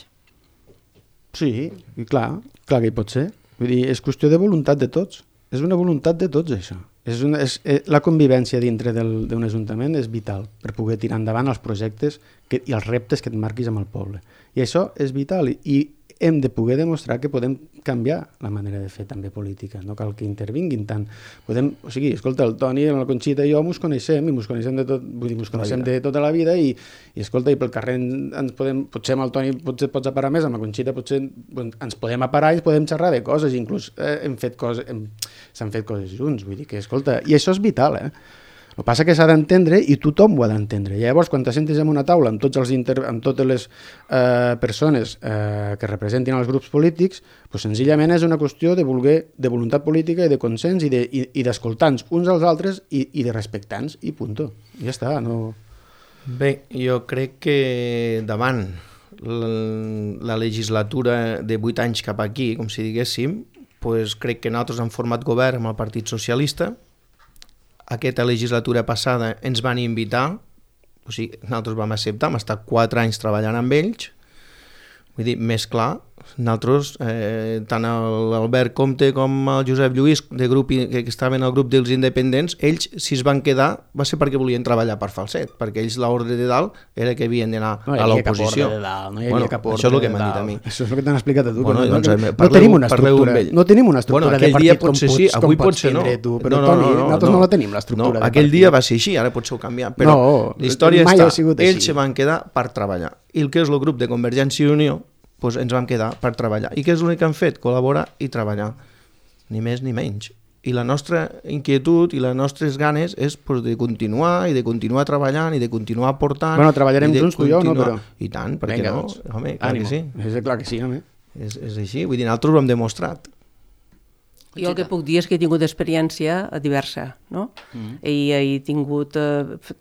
Sí, i clar que hi pot ser. Vull dir, és qüestió de voluntat de tots. És una voluntat de tots, això. La convivència dintre d'un ajuntament és vital per poder tirar endavant els projectes i els reptes que et marquis amb el poble. I això és vital i hem de poder demostrar que podem canviar la manera de fer també política, no cal que intervinguin tant. Escolta, el Toni, la Conxita i jo mos coneixem de tot, vull dir, mos coneixem de tota la vida i escolta, i pel carrer potser amb el Toni pots aparar més, amb la Conxita potser ens podem aparar i podem xerrar de coses, inclús s'han fet coses junts, vull dir que, escolta, i això és vital, El que passa que s'ha d'entendre i tothom ho ha d'entendre. Llavors, quan t'assentis en una taula amb totes les persones que representin els grups polítics, senzillament és una qüestió de voluntat política i de consens i d'escoltar-nos uns als altres i de respectar-nos i punt. Ja està. No... Bé, jo crec que davant la legislatura de 8 anys cap aquí, com si diguéssim, pues crec que nosaltres hem format govern amb el Partit Socialista. Aquesta legislatura passada ens van invitar, o sigui, nosaltres vam acceptar, hem estat 4 anys treballant amb ells. Vull dir, més clar, nosaltres, tant l'Albert Comte com el Josep Lluís, que estaven al grup dels independents, ells, si es van quedar, va ser perquè volien treballar per Falset, perquè ells l'ordre de dalt era que havien d'anar a l'oposició. No hi havia cap ordre això és el que de m'han dalt. dit a mi. Això és el que t'han explicat a tu. Bueno, no, doncs, no tenim una estructura, no tenim una estructura de partit com pots ser, tindre tu, però Toni, nosaltres no la tenim, l'estructura de partit. Aquell dia va ser així, ara potser ho canviar, però la història està, ells se van quedar per treballar. I el que és el grup de Convergència i Unió, doncs ens vam quedar per treballar. I què és l'únic que han fet? Col·laborar i treballar. Ni més ni menys. I la nostra inquietud i les nostres ganes és de continuar i de continuar treballant i de continuar aportant. Bueno, treballarem junts tu i jo, no? Però... I tant, per què no? Home, clar que sí. És clar que sí, home. És així, vull dir, nosaltres ho hem demostrat. Jo el que puc dir és que he tingut experiència diversa, no? I he tingut,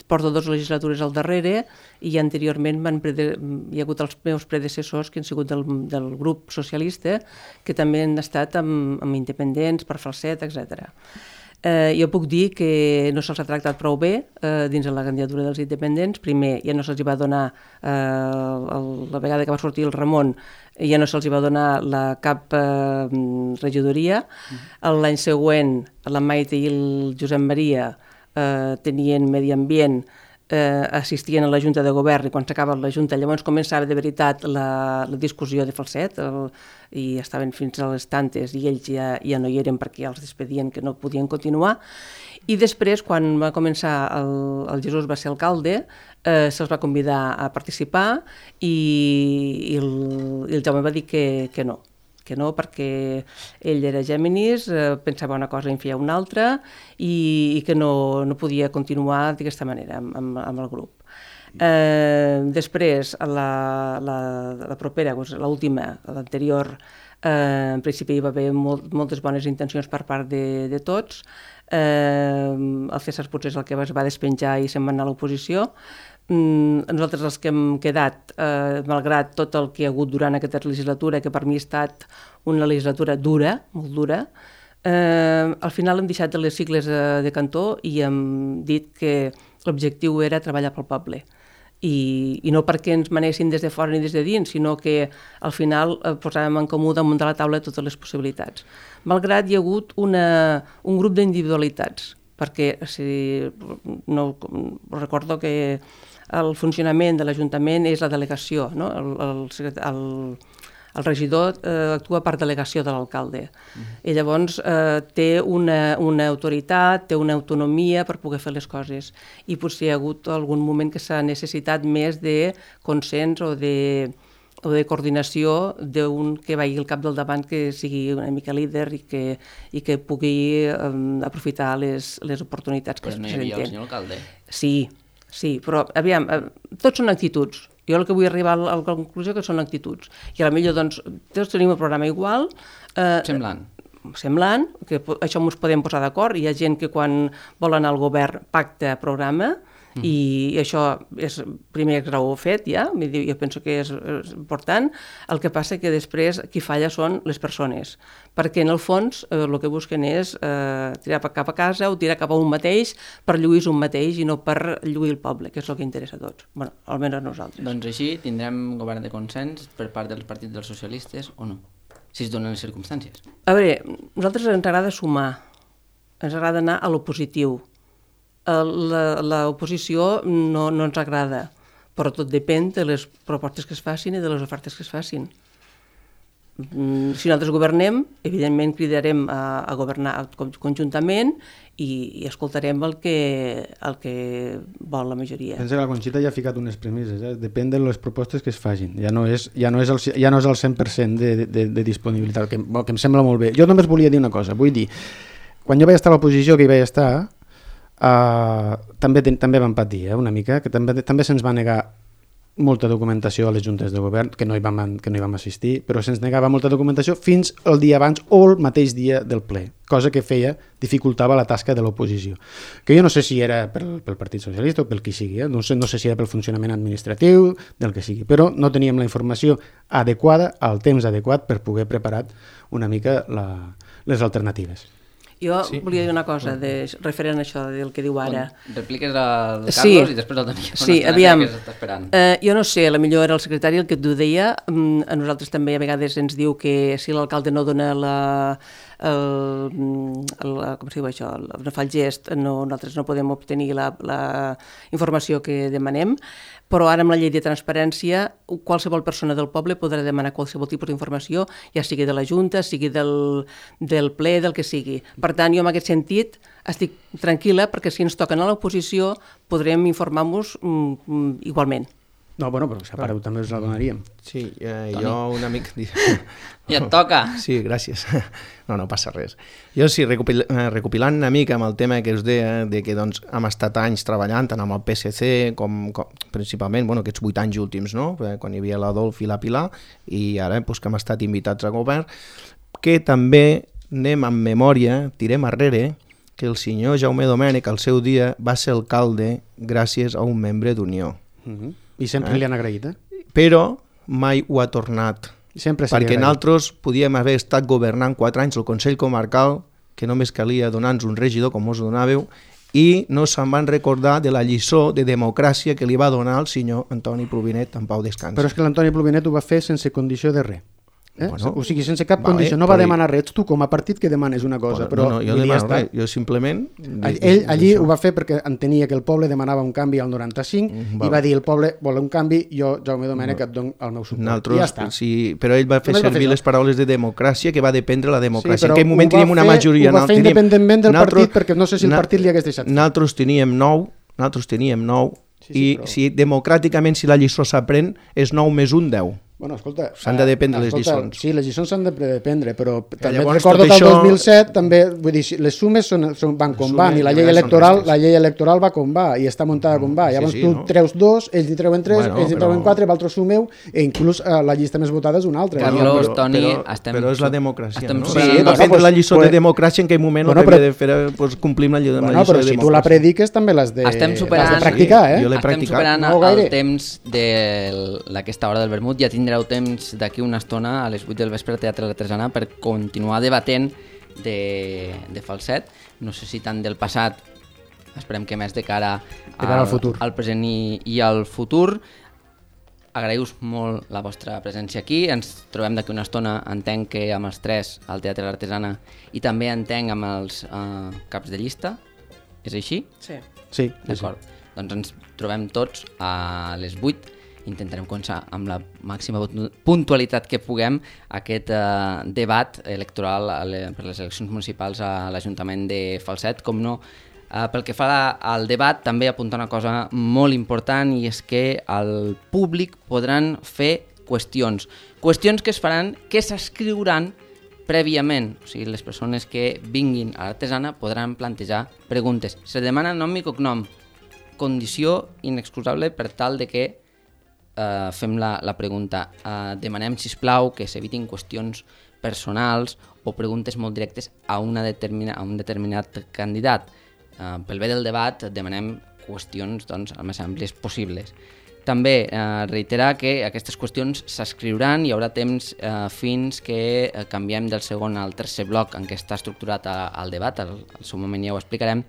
porto 2 legislatures al darrere i anteriorment hi ha hagut els meus predecessors que han sigut del grup socialista, que també han estat amb independents, per Falset, etc. Jo puc dir que no se'ls ha tractat prou bé dins de la candidatura dels independents. Primer, ja no se'ls va donar, la vegada que va sortir el Ramon, ja no se'ls va donar cap regidoria. L'any següent, la Maite i el Josep Maria tenien medi ambient, assistien a la Junta de Govern i quan s'acaba la Junta llavors començava de veritat la discussió de Falset i estaven fins a les tantes i ells ja no hi eren perquè els despedien que no podien continuar. I després, quan va començar el Jesús va ser alcalde, se'ls va convidar a participar i el Jaume va dir que no, perquè ell era Géminis, pensava una cosa i en feia una altra i que no podia continuar d'aquesta manera amb el grup. Després, la propera, l'última, l'anterior, en principi hi va haver moltes bones intencions per part de tots. El César potser és el que es va despenjar i se'n va anar a l'oposició. Nosaltres els que hem quedat, malgrat tot el que hi ha hagut durant aquesta legislatura, que per mi ha estat una legislatura dura, molt dura, al final hem deixat les sigles de cantó i hem dit que l'objectiu era treballar pel poble. I no perquè ens manessin des de fora ni des de dins, sinó que al final posàvem en comú damunt de la taula totes les possibilitats. Malgrat hi ha hagut un grup d'individualitats, perquè recordo que el funcionament de l'Ajuntament és la delegació, no? El regidor actua per delegació de l'alcalde. I llavors té una autoritat, té una autonomia per poder fer les coses. I potser hi ha hagut algun moment que s'ha necessitat més de consens o de coordinació d'un que vagi al cap del davant, que sigui una mica líder i que pugui aprofitar les oportunitats que es presenten. Però no hi havia el senyor alcalde? Sí, però aviam, tots són actituds. Jo el que vull arribar a la conclusió que són actituds. I potser doncs, tots tenim el programa igual. Semblant, que això ens podem posar d'acord. Hi ha gent que quan vol anar al govern pacta programa i això és primer grau fet ja, jo penso que és important. El que passa que després qui falla són les persones, perquè en el fons el que busquen és tirar cap a casa o tirar cap a un mateix per lluir un mateix i no per lluir el poble, que és el que interessa a tots, bueno, almenys a nosaltres. Doncs així tindrem govern de consens per part dels partits dels socialistes o no? Si es donen les circumstàncies. A veure, a nosaltres ens agrada sumar, ens agrada anar a l'opositiu. L'oposició no ens agrada, però tot depèn de les propostes que es facin i de les ofertes que es facin. Si nosaltres governem, evidentment cridarem a governar conjuntament i escoltarem el que vol la majoria. Pensa que la Conxita ja ha ficat unes premisses, depèn de les propostes que es facin, ja no és el 100% de disponibilitat, que em sembla molt bé. Jo només volia dir una cosa, vull dir, quan jo vaig estar a l'oposició, que hi vaig estar, també vam patir una mica, que també se'ns va negar molta documentació a les juntes de govern, que no hi vam assistir, però se'ns negava molta documentació fins el dia abans o el mateix dia del ple, cosa que dificultava la tasca de l'oposició. Que jo no sé si era pel Partit Socialista o pel qui sigui, no sé si era pel funcionament administratiu, del que sigui, però no teníem la informació adequada, al temps adequat, per poder preparar una mica les alternatives. Jo volia dir una cosa referent a això del que diu ara. Repliques al Carlos i després el Daniel. Sí, aviam, jo no sé, potser era el secretari el que t'ho deia, a nosaltres també a vegades ens diu que si l'alcalde no dona com es diu això, no fa el gest, nosaltres no podem obtenir la informació que demanem, però ara amb la llei de transparència qualsevol persona del poble podrà demanar qualsevol tipus d'informació, ja sigui de la Junta, sigui del ple, del que sigui. Per tant, jo en aquest sentit estic tranquil·la perquè si ens toquen a l'oposició podrem informar-nos igualment. No, bueno, però separeu també us la donaríem. Sí, jo un amic... Ja et toca. Sí, gràcies. No passa res. Jo sí, recopilant una mica amb el tema que us deia, de que doncs, hem estat anys treballant tant amb el PSC com principalment, aquests 8 anys últims, no? Quan hi havia l'Adolf i la Pilar, i ara que hem estat invitats a govern, que també anem amb memòria, tirem arrere, que el senyor Jaume Domènech al seu dia va ser alcalde gràcies a un membre d'Unió. I sempre li han agraït, Però mai ho ha tornat. Perquè nosaltres podíem haver estat governant 4 anys al Consell Comarcal, que només calia donar-nos un regidor com us donàveu, i no se'n van recordar de la lliçó de democràcia que li va donar el senyor Antoni Plovinet en pau descansi. Però és que l'Antoni Plovinet ho va fer sense condició de res. O sigui, sense cap condició, no va demanar res. Tu com a partit que demanes una cosa, però... Jo demano res, jo simplement... Ell allí ho va fer perquè entenia que el poble demanava un canvi al 95 i va dir el poble vol un canvi, jo, Jaume Domènech, et dono el meu suport. I ja està. Sí, però ell va fer servir les paraules de democràcia, que va dependre la democràcia. En aquell moment teníem una majoria... Ho va fer independentment del partit, perquè no sé si el partit li hagués deixat. Nosaltres teníem 9, i si democràticament, si la lliçó s'aprèn, és 9 més 1, 10. Bueno, escolta, s'han de dependre les lliçons. Sí, les lliçons s'han de dependre, però també recordo que el 2007 també, vull dir, les sumes van com van, i la llei electoral va com va, i està muntada com va. Llavors tu treus 2, ells hi treuen 3, ells hi treuen 4, vosaltres sumeu, i inclús la llista més votada és una altra. Carlos, Toni, però és la democràcia, no? Sí, va prendre la lliçó de democràcia, en aquell moment el que havia de fer complim la lliçó de democràcia. Però si tu la prediques també l'has de practicar, eh? Estem superant el temps d'aquesta hora del vermut, ja tindrem temps d'aquí una estona a les 8 del vespre al Teatre Artesana per continuar debatent de Falset, no sé si tant del passat, esperem que més de cara al present i al futur. Agraïu-vos molt la vostra presència aquí, ens trobem d'aquí una estona, entenc que amb els 3 al Teatre Artesana i també entenc amb els caps de llista, és així? Sí. D'acord, doncs ens trobem tots a les 8. Intentarem començar amb la màxima puntualitat que puguem aquest debat electoral per les eleccions municipals a l'Ajuntament de Falset. Com no, pel que fa al debat, també apuntar una cosa molt important, i és que al públic podran fer qüestions que es faran, que s'escriuran prèviament. O sigui, les persones que vinguin a l'Artesana podran plantejar preguntes. Se demana nom i cognom, condició inexcusable per tal de que fem la pregunta. Demanem, sisplau, que s'evitin qüestions personals o preguntes molt directes a un determinat candidat. Pel bé del debat demanem qüestions el més àmplies possibles. També reiterar que aquestes qüestions s'escriuran, hi haurà temps fins que canviem del segon al tercer bloc en què està estructurat el debat, al seu moment ja ho explicarem,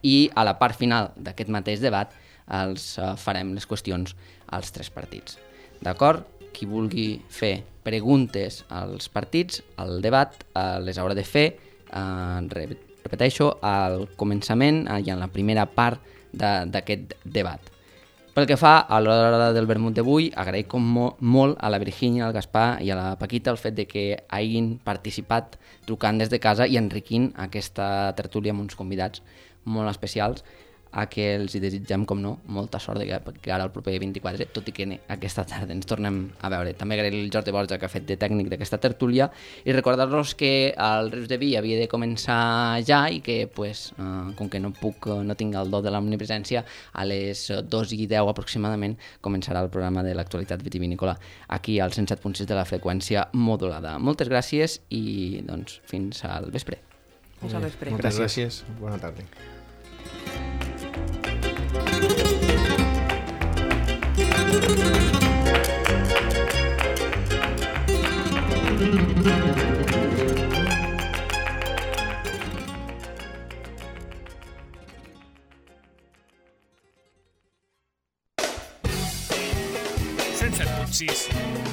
i a la part final d'aquest mateix debat els farem les qüestions als 3 partits. D'acord? Qui vulgui fer preguntes als partits, al debat, les haurà de fer, repeteixo, al començament i en la primera part d'aquest debat. Pel que fa a l'hora del vermut d'avui, agraïc molt a la Virgínia, al Gaspar i a la Paquita el fet de que hagin participat trucant des de casa i enriquint aquesta tertúlia amb uns convidats molt especials. a que els hi desitgem, com no, molta sort que ara el proper 24, tot i que aquesta tarda ens tornem a veure. També agrair el Jordi Borja que ha fet de tècnic d'aquesta tertúlia i recordar-los que el Rius de Vi havia de començar ja i que, pues, com que no tinc el do de l'omnipresència, a les 2:10 aproximadament començarà el programa de l'actualitat vitivinícola aquí al 107.6 de la freqüència modulada. Moltes gràcies i doncs fins al vespre. Fins al vespre. Moltes gràcies. Bona tarda.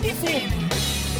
FM.